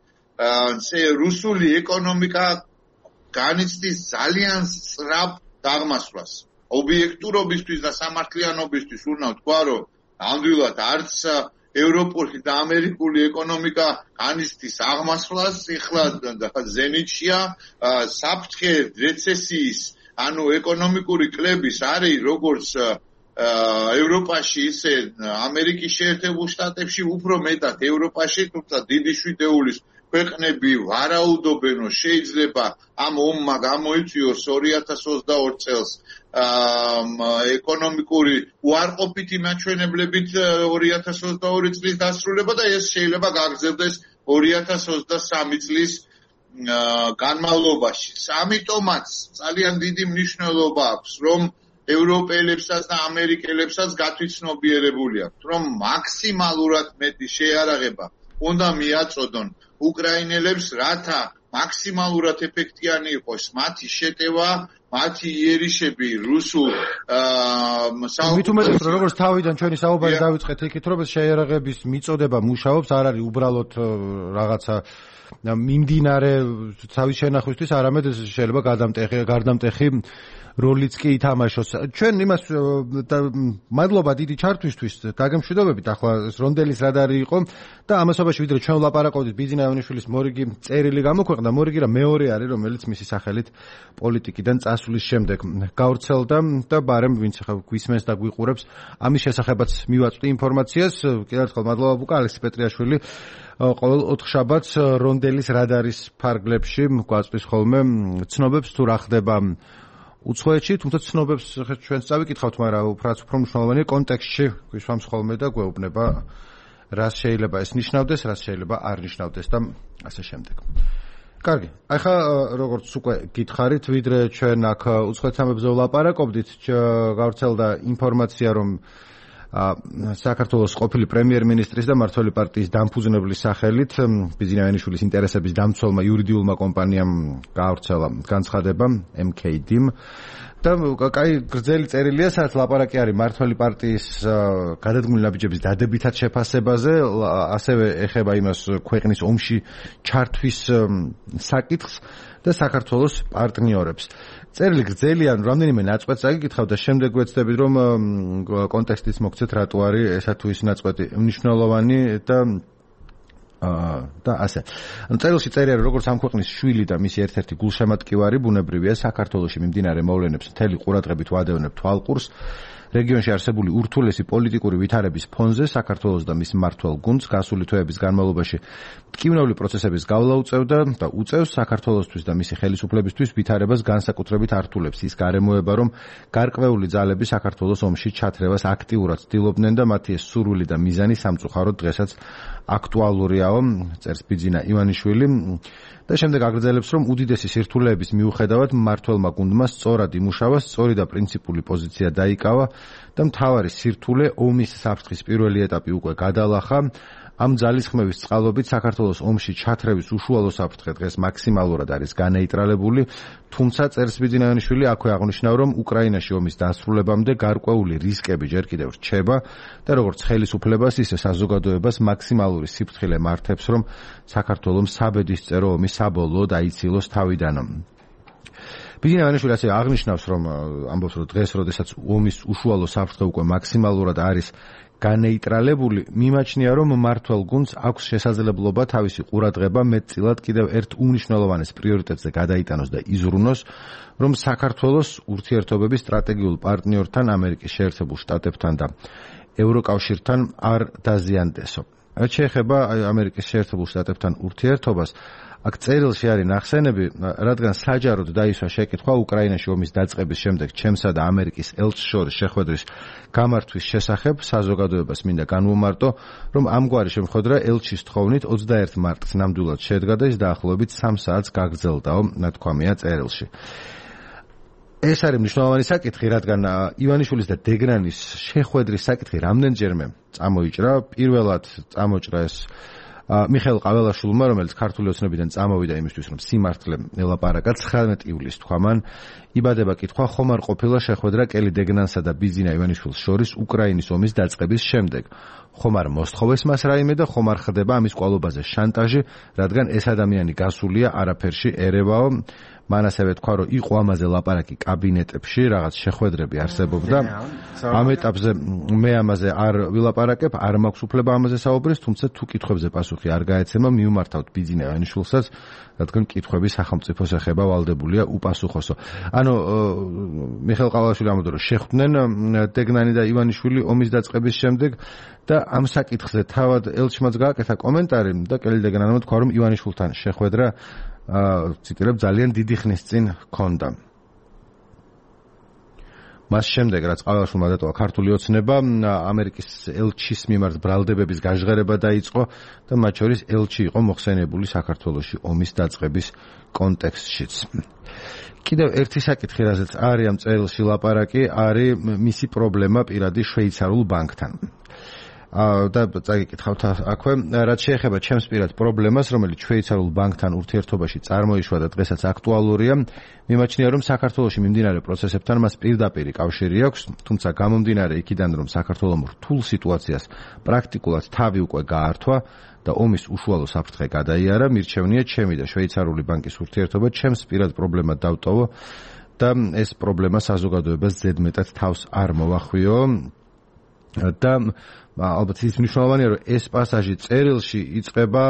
რუსული ეკონომიკა განიცდის ძალიან სწრაფ დაღმასვლას. ობიექტურობისთვის და სამართლიანობისთვის უნდა ვთქვა, რომ ნამდვილად არც ევროპული და ამერიკული ეკონომიკა განიცდის აღმასვლას, ეხლა ზენიტშია, საფრთხე რეცესიის, ანუ ეკონომიკური კლების არის როგორც ევროპაში, ისე ამერიკის შეერთებულ შტატებში, უფრო მეტად ევროპაში, თუმცა დიდი შვიდეულის ქვეყნები ვარაუდობენ, რომ შეიძლება ამ ომმა გამოიწვიოს ორი ათას ოცდაორი წელს ეკონომიკური უარყოფითი მაჩვენებლებით ორი ათას ოცდაორი წლის დასრულება და ეს შეიძლება გაგრძელდეს ორი ათას ოცდასამი წლის განმავლობაში. ამიტომაც ძალიან დიდი მნიშვნელობა აქვს, რომ ევროპელებსაც და ამერიკელებსაც გათვითცნობიერებული აქვთ, რომ მაქსიმალურად მეტი შეიარაღება უნდა მიაწოდონ უკრაინელებს, რათა მაქსიმალურად ეფექტიანი იყოს მათი შეტევა, მათი იერიშები რუსულ მით უმეტეს რომ როგორც თავიდან ჩვენი საუბარი დავიწყეთ იქით, რომ შეიარაღების მიწოდება მუშაობს, არ არის უბრალოდ რაღაცა მიმდინარე თავის შენახვისთვის, არამედ შეიძლება გარდამტეხი გარდამტეხი როლიც კი ითამაშოს. ჩვენ იმას მადლობა დიდი ჩართვისთვის, დაგემშვიდობებით. ახლა რონდელის რადარი იყო და ამასობაში ვიდრე ჩვენ ვლაპარაკობდით ბიძინა ივანიშვილის მორიგი წერილი გამოქვეყნდა, მორიგი რა მეორე არის, რომელიც მისი სახელით პოლიტიკიდან წასვლის შემდეგ გავრცელდა და ბარემ ვინც ახლა გვისმენს და გვიყურებს, ამის შესახებაც მივაწვდი ინფორმაციას. კიდევ ერთხელ მადლობა ბუკა ალექსი პეტრიაშვილი. ყოველ ოთხშაბათს რონდელის რადარის ფარგლებში გვაწვდის ხოლმე ცნობებს თუ რა ხდება უცხოეთში, თუმცა ცნობებს ჩვენც წავიკითხავთ, მაგრამ უფრო უფრო მნიშვნელოვანია კონტექსტში გვისვამს ხოლმე და გვეუბნება რას შეიძლება ეს ნიშნავდეს, რას შეიძლება არ ნიშნავდეს და ასე შემდეგ. კარგი, ახლა როგორც უკვე გითხარით, ვიდრე ჩვენ აქ უცხოეთამებზე ვლაპარაკობდით, გავრცელდა ინფორმაცია, რომ საქართველოს ყოფილი პრემიერ-მინისტრის და მმართველი პარტიის დამფუძნებლის სახელით ბიძინა ივანიშვილის ინტერესების დამცველმა იურიდიულმა კომპანიამ გაავრცელა განცხადება ემ კეი დი-მ და კაი გრძელი წერილია, სადაც ლაპარაკი არის მმართველი პარტიის გადადგმული ნაბიჯების დადებითად შეფასებაზე, ასევე ეხება იმას ქვეყნის ომში ჩართვის საკითხს და საქართველოს პარტნიორებს. წერილი გრძელია, რამდენიმე ნაწყვეტს აგიკითხავ და შემდეგ ვეცდებით, რომ კონტექსტიც მოგცეთ, რატო არის ესა თუ ის ნაწყვეტი მნიშვნელოვანი და და ასე. წერილში წერია, რომ როგორც ამ ქვეყნის შვილი და მისი ერთ-ერთი გულშემატკივარი ბუნებრივია საქართველოში მიმდინარე მოვლენებს მთელი ყურადღებით ვადევნებ თვალყურს. რეგიონში არსებული ურთულესი პოლიტიკური ვითარების ფონზე საქართველოს და მის მმართველ გუნდს გასული თვეების განმავლობაში მტკივნეული პროცესების გავლა უწევდა და უწევს საქართველოსთვის და მისი ხელისუფლებისთვის ვითარებას განსაკუთრებით ართულებს ის გარემოება, რომ გარკვეული ძალები საქართველოს ომში ჩათრევას აქტიურად ცდილობდნენ და მათი ეს სურვილი და მიზანი სამწუხაროდ დღესაც აქტუალურიაო, წერს ბიძინა ივანიშვილი და შემდეგ აგრძელებს, რომ უდიდესი სირთულეების მიუხედავად მმართველმა გუნდმა სწორად იმუშავა, სწორი და პრინციპული პოზიცია დაიკავა და მთავარი სირთულე ომის საფრთხის პირველი ეტაპი უკვე გადალახა. ამ ძალისხმევის წყალობით საქართველოს ომში ჩათრევის უშუალო საფრთხე დღეს მაქსიმალურად არის განეიტრალებული, თუმცა წერს ბიძინა ივანიშვილი აქვე აღნიშნა, რომ უკრაინაში ომის დასრულებამდე გარკვეული რისკები ჯერ კიდევ რჩება და როგორც ხელისუფლებას, ისე საზოგადოებას მაქსიმალური სიფრთხილე მართებს, რომ საქართველოს საბედისწერო ომი საბოლოოდ აიცილოს თავიდან. ბიძინა ივანიშვილი ასევე აღნიშნავს, რომ ამბობს, რომ დღეს, როდესაც ომის უშუალო საფრთხე უკვე მაქსიმალურად არის განეიტრალებული, მიმაჩნია, რომ მმართველ გუნდს აქვს შესაძლებლობა თავისი ყურადღება მეტწილად კიდევ ერთ უმნიშვნელოვანეს პრიორიტეტზე გადაიტანოს და იზრუნოს, რომ საქართველოს ურთიერთობების სტრატეგიულ პარტნიორთან, ამერიკის შეერთებულ შტატებთან და ევროკავშირთან არ დაზიანდესო. რაც შეეხება ამერიკის შეერთებულ შტატებთან ურთიერთობას, აქ წერილში არის ნახსენები, რადგან საჯაროდ დაისვა შეკითხვა უკრაინაში ომის დაწყების შემდეგ ჩემსა და ამერიკის ელჩს შორის შეხვედრის გამართვის შესახებ, საზოგადოებას მინდა განვუმარტო, რომ ამგვარი შემოხვედრა ელჩის თხოვნით ოცდაერთი მარტს ნამდვილად შედგა და ის დაახლოებით სამ საათს გაგრძელდაო, ნათქვამია წერილში. ეს არის მნიშვნელოვანი საკითხი, რადგან ივანიშვილის და დეგრანის შეხვედრის საკითხი რამდენჯერმე წამოიჭრა. პირველად წამოჭრა ეს მიხეილ ყაველაშვილმა, რომელიც ქართული ოცნებიდან წამოვიდა იმისთვის, რომ სიმართლე ელაპარაკა, ცხრამეტი ივლისს თქვა მან, იბადება კითხვა, ხომ არ ყოფილა შეხვედრა კელი დეგნანსა და ბიძინა ივანიშვილს შორის უკრაინის ომის დაწყების შემდეგ. ხომ არ მოსთხოვეს მას რაიმე და ხომ არ ხდება ამის კვალობაზე შანტაჟი, რადგან ეს ადამიანი გასულია არაფერში ერევაო. მან ასევე თქვა, რომ იყო ამაზე ლაპარაკი კაბინეტებში, რაღაც შეხვედრები არსებობდა. ამ ეტაპზე მე ამაზე არ ვილაპარაკებ, არ მაქვს უფლება ამაზე საუბრის, თუმცა თუ კითხვებზე პასუხი პასუხი არ გაეცემა, მიუმართავთ ბიძინა ივანიშვილსაც, რადგან კითხვები სახელმწიფოს ეხება ვალდებულია უპასუხოსო. ანუ მიხეილ ყავალაშვილი ამბობდა, რომ შეხვდნენ დეგნანი და ივანიშვილი ომის დაწყების შემდეგ და ამ საკითხზე თავად ელჩმაც გააკეთა კომენტარი და კელი დეგნანმა თქვა, რომ ივანიშვილთან შეხვედრა ციტირებ ძალიან დიდი ხნის წინ ჰქონდა. მას შემდეგ, რაც ყავალაშვილმა დატოვა ქართული ოცნება, ამერიკის ელჩის მიმართ ბრალდებების გაჟღერება დაიწყო და მათ შორის ელჩი იყო მოხსენიებული საქართველოში ომის დაწყების კონტექსტშიც. კიდევ ერთი საკითხი, რაზეც არის ამ წერილში ლაპარაკი, არის მისი პრობლემა პირადი შვეიცარიულ ბანკთან. და წაგიკითხავთ აქვე, რაც შეეხება ჩემს პირად პრობლემას, რომელიც შვეიცარიულ ბანკთან ურთიერთობაში წარმოიშვა და დღესაც აქტუალურია, მიმაჩნია, რომ საქართველოში მიმდინარე პროცესებთან მას პირდაპირი კავშირი აქვს, თუმცა გამომდინარე იქიდან, რომ საქართველოს რთულ სიტუაციას პრაქტიკულად თავი უკვე გაართვა და ომის უშუალო საფრთხე გადაიარა, მირჩევნია ჩემი და შვეიცარიული ბანკის ურთიერთობა ჩემს პირად პრობლემად დავტოვო და ეს პრობლემა საზოგადოებას ზედმეტად თავს არ მოვახვიო და ალბათ ის მნიშვნელოვანია, რომ ეს პასაჟი წერილში იწყება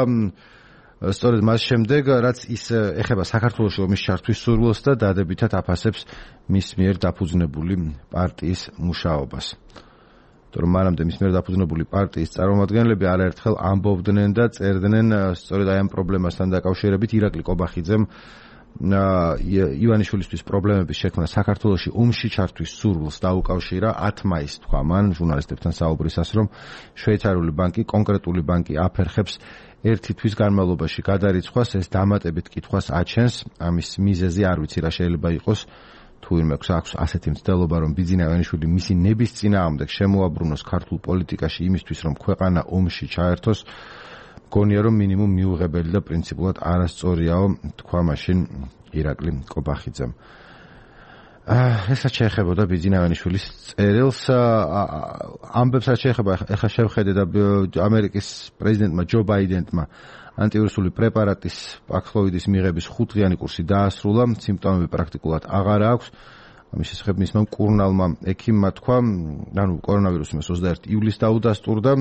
სწორედ მას შემდეგ, რაც ის ეხება საქართველოში ომის ჩართვის სურვილს და დადებითად აფასებს მის მიერ დაფუძნებული პარტიის მუშაობას. თორემ მანამდე მის მიერ დაფუძნებული პარტიის წარმომადგენლები არაერთხელ ამბობდნენ და წერდნენ სწორედ აი ამ პრობლემასთან დაკავშირებით ირაკლი კობახიძემ ივანიშვილისთვის პრობლემების შექმნა საქართველოში ომში ჩართვის სურვილს დაუკავშირა ათ მაისს თქვა მან ჟურნალისტებთან საუბრისას, რომ შვეიცარიული ბანკი, კონკრეტული ბანკი აფერხებს ერთი თვის განმავლობაში გადარიცხვას, ეს დამატებით კითხვას აჩენს, ამის მიზეზი არ ვიცი რა შეიძლება იყოს, თუ ვინმე აქვს ასეთი მცდელობა, რომ ბიძინა ივანიშვილი მისი ნების წინააღმდეგ შემოაბრუნოს ქართულ პოლიტიკაში იმისთვის, რომ ქვეყანა ომში ჩაერთოს, გონია რომ მინიმუმ მიუღებელი და პრინციპულად არასწორიაო, თქვა მაშინ ირაკლი კობახიძემ. ესაც შეეხებოდა ბიძინა ივანიშვილის წერილს, ამბებს რაც შეეხება, ეხლა შევხედე და ამერიკის პრეზიდენტმა ჯო ბაიდენმა ანტივირუსული პრეპარატის პაქსლოვიდის მიღების ხუთდღიანი კურსი დაასრულა, სიმპტომები პრაქტიკულად აღარ აქვს. ამის შესახებ მისმა მკურნალმა ექიმმა თქვა, ანუ კორონავირუსი მას ოცდაერთი ივლისს დაუდასტურდა.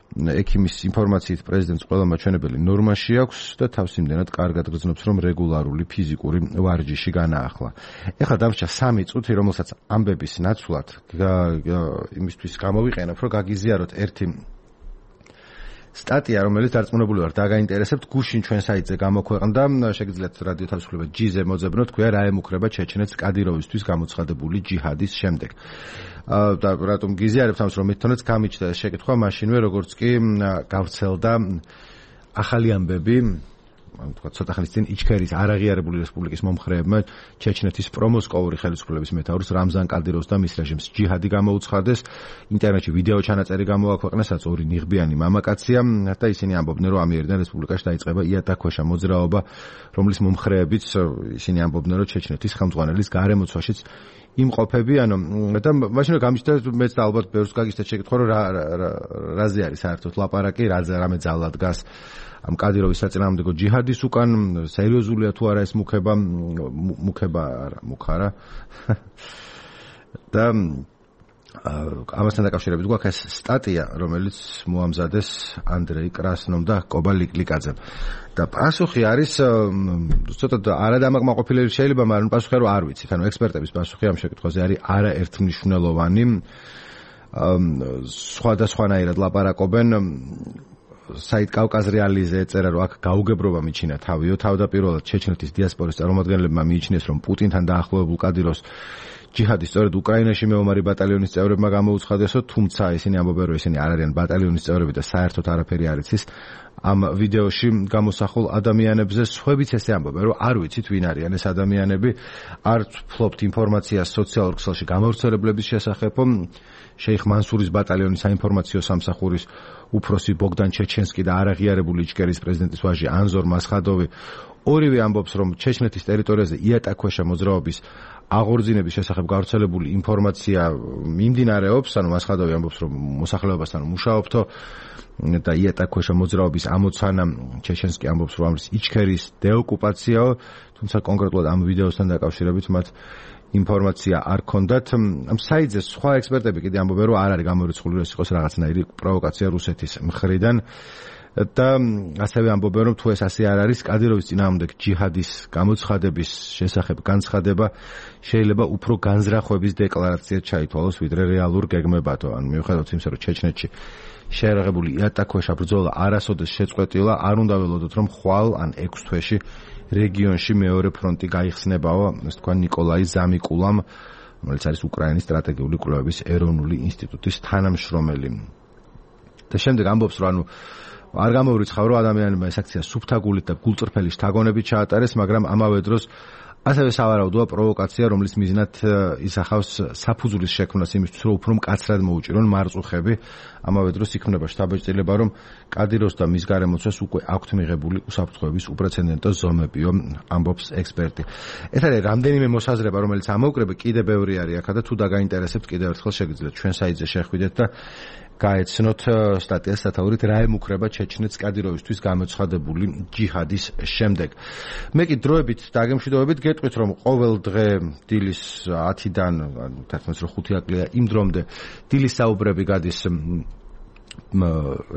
ექიმის ინფორმაციით პრეზიდენტს ყველა მაჩვენებელი ნორმაში აქვს და თავს იმდენად კარგად გრძნობს, რომ რეგულარული ფიზიკური ვარჯიში განაახლა. ეხლა დამრჩა სამი წუთი, რომელსაც ამბების ნაცვლად იმისთვის გამოვიყენებ, რომ გაგიზიაროთ ერთი სტატია, რომელიც დარწმუნებული ვარ დაგაინტერესებთ, გუშინ ჩვენ საიტზე გამოქვეყნდა, შეგიძლიათ რადიო თავისუფლება ჯი-ზე მოძებნოთ, თქვია რა ემუქრება ჩეჩნეთს კადიროვისთვის გამოცხადებული ჯიჰადის შემდეგ. და რატომ გიზიარებთ ამას, რომ მეთქონაც გამიჩნდა ეს შეკითხვა მაშინვე, როგორც კი გავრცელდა ახალი ამბები, ანუ თქვა ცოტა ხნის წინ იჩქერის არაღიარებული რესპუბლიკის მომხრეებმა ჩეჩნეთის პრომოსკოვური ხელისუფლების მეთაურს რამზან კადიროვს და მის რეჟიმს ჯიჰადი გამოუცხადეს, ინტერნეტში ვიდეო ჩანაწერი გამოაქვეყნეს, რაც ორი ნიღბიანი მამაკაცია და ისინი ამბობდნენ, რომ ამიერიდან რესპუბლიკაში დაიწყება იატაკქვეშა მოძრაობა, რომლის მომხრეებიც ისინი ამბობდნენ, რომ ჩეჩნეთის ხელმძღვანელის გარემოცვაშიც იმყოფებიან და მაშინ გამიჩნდა მეც და ალბათ ბევრს გაგიჩნდა შეკითხვა, რომ რაზე არის საერთოდ ლაპარაკი, რამე ძალად დგას ამ კადიროვის საწინააღმდეგო ჯიჰადის უკან, სერიოზულია თუ არა ეს მუქება, მუქება არა, მუქარა. და ამასთან დაკავშირებით გვაქვს ეს სტატია, რომელიც მოამზადეს ანდრეი კრასნომ და კობა ლიკლიკაძემ. და პასუხი არის ცოტა არადამაკმაყოფილებელი შეიძლება, მაგრამ პასუხი რომ არ ვიცით. ანუ ექსპერტების პასუხი ამ შეკითხვაზე არის არაერთმნიშვნელოვანი. სხვადასხვანაირად ლაპარაკობენ. საით კავკაზ რეალიზე ეწერა, რომ აქ გაუგებრობა მიჩინა თავიო, თავდაპირველად ჩეჩნეთის დიასპორის წარმომადგენლებმა მიიჩნიეს, რომ პუტინთან დაახლოებულ კადიროვს ჯიჰადი სწორედ უკრაინაში მეომარი ბატალიონის წევრებმა გამოუცხადესო, თუმცა ისინი ამბობენ, რომ ისინი არ არიან ბატალიონის წევრები და საერთოდ არაფერი არ იცის ამ ვიდეოში გამოსახულ ადამიანებზე. სხვაებიც ესე ამბობენ, რომ არ ვიცით ვინ არიან ეს ადამიანები, არ ვფლობთ ინფორმაციას სოციალურ ქსელში გამავრცელებლების შესახებ. შეიხ მანსურის ბატალიონის საინფორმაციო სამსახურის უფროსი ბოგდან ჩეჩენსკი და არაღიარებული იჩქერის პრეზიდენტის ვაჟი ანზორ მასხადოვი ორივე ამბობს, რომ ჩეჩნეთის ტერიტორიაზე იატაკქვეშა მოძრაობის აღორძინების შესახებ გავრცელებული ინფორმაცია მიმდინარეობს, ანუ მასხადოვი ამბობს, რომ მოსახლეობასთან მუშაობთო და იატაკქვეშა მოძრაობის ამოცანა, ჩეჩენსკი ამბობს, რომ ამის იჩქერის დეოკუპაციაო, თუმცა კონკრეტულად ამ ვიდეოსთან დაკავშირებით მათ ინფორმაცია არ ქონდათ. ამ საიტზე სხვა ექსპერტები კიდე ამბობენ, რომ არ არის გამორიცხული, რომ ეს იყოს რაღაცნაირი პროვოკაცია რუსეთის მხრიდან და ასევე ამბობენ, რომ თუ ეს ასე არ არის, კადიროვის წინააღმდეგ ჯიჰადის გამოცხადების შესახებ განცხადება შეიძლება უფრო განზრახვების დეკლარაციად ჩაითვალოს, ვიდრე რეალურ გეგმებათო. ან მიუხედავად იმისა, რომ ჩეჩნეთში შეერაღებული იატაკქვეშა ბრძოლა არასოდეს შეწყვეტილა, არ უნდა ველოდოთ, რომ ხვალ ან ექვს თვეში რეგიონში მეორე ფრონტი გაიხსნებაო, ასე თქვა ნიკოლაი ზამიკულამ, რომელიც არის უკრაინის სტრატეგიული კვლევების ეროვნული ინსტიტუტის თანამშრომელი. და შემდეგ ამბობს, რომ ანუ არ გამოურიცხავ, რომ ადამიანებმა ეს აქცია სუფთაგულით და გულწრფელი შთაგონებით ჩაატარეს, მაგრამ ამავე დროს ასევე სავარაუდოა პროვოკაცია, რომლის მიზნად ისახავს საფუძვლის შექმნას იმისთვის, რომ უფრო მკაცრად მოუჭირონ მარწუხები. ამავე დროს იქმნება შთაბეჭდილება, რომ კადიროვს და მის გარემოცვას უკვე აქვთ მიღებული უსაფრთხოების უპრეცედენტო ზომებიო, ამბობს ექსპერტი. ეს არის რამდენიმე მოსაზრება, რომელიც ამოუკრება, კიდე ბევრი არის აქა და თუ დაგაინტერესებთ, კიდევ ერთხელ შეგიძლიათ ჩვენ საიტზე შეხვიდეთ და გაეცნოთ სტატიას სათაურით რა ემუქრება ჩეჩნეთს კადიროვისთვის გამოცხადებული ჯიჰადის შემდეგ. მე კი დროებით დაგემშვიდობებით გეტყვით, რომ ყოველ დღე დილის ათიდან, ანუ თერთმეტი რო ხუთი აკლია იმ დრომდე დილის საუბრები გადის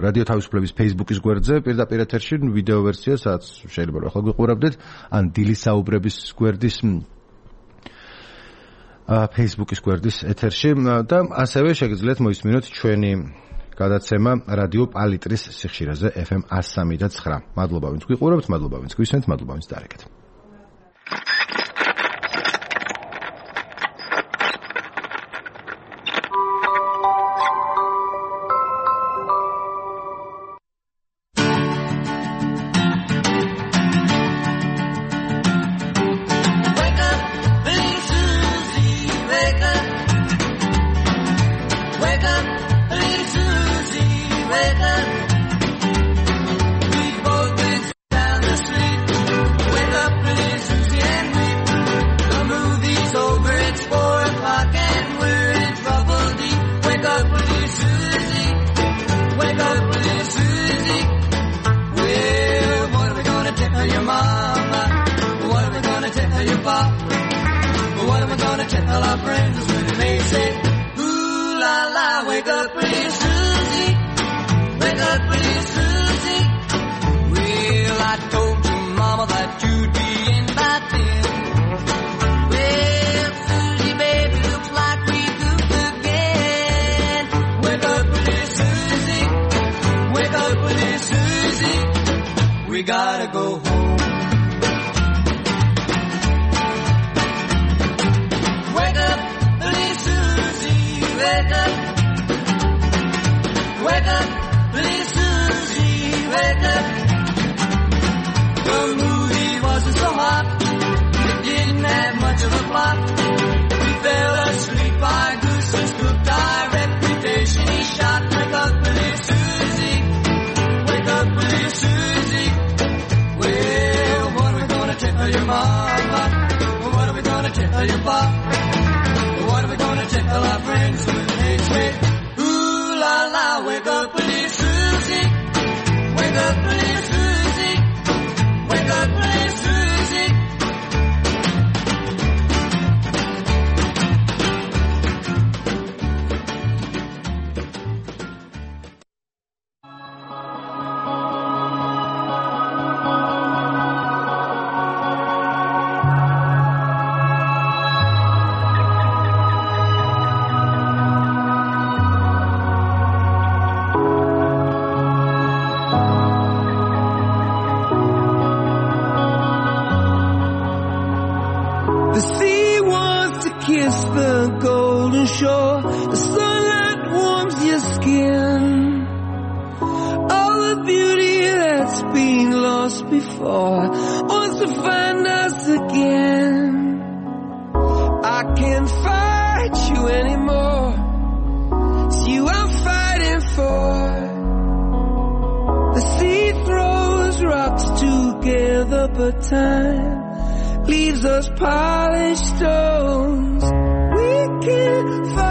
რადიო თავისუფლების Facebook-ის გვერდზე, პირდაპირ ეთერში ვიდეო ვერსია, სადაც შეიძლება რომ ახლა გიყურებდეთ, ან დილის საუბრების გვერდის Facebook-ის გვერდის ეთერში და ასევე შეგიძლიათ მოისმინოთ ჩვენი გადაცემა რადიო პალიტრის სიხშირეზე ეფ ემ one oh three point nine. მადლობა ვინც გიყურებთ, მადლობა ვინც გვისმენთ, მადლობა ვინც დაარეკეთ. But time leaves us polished stones. We can fight.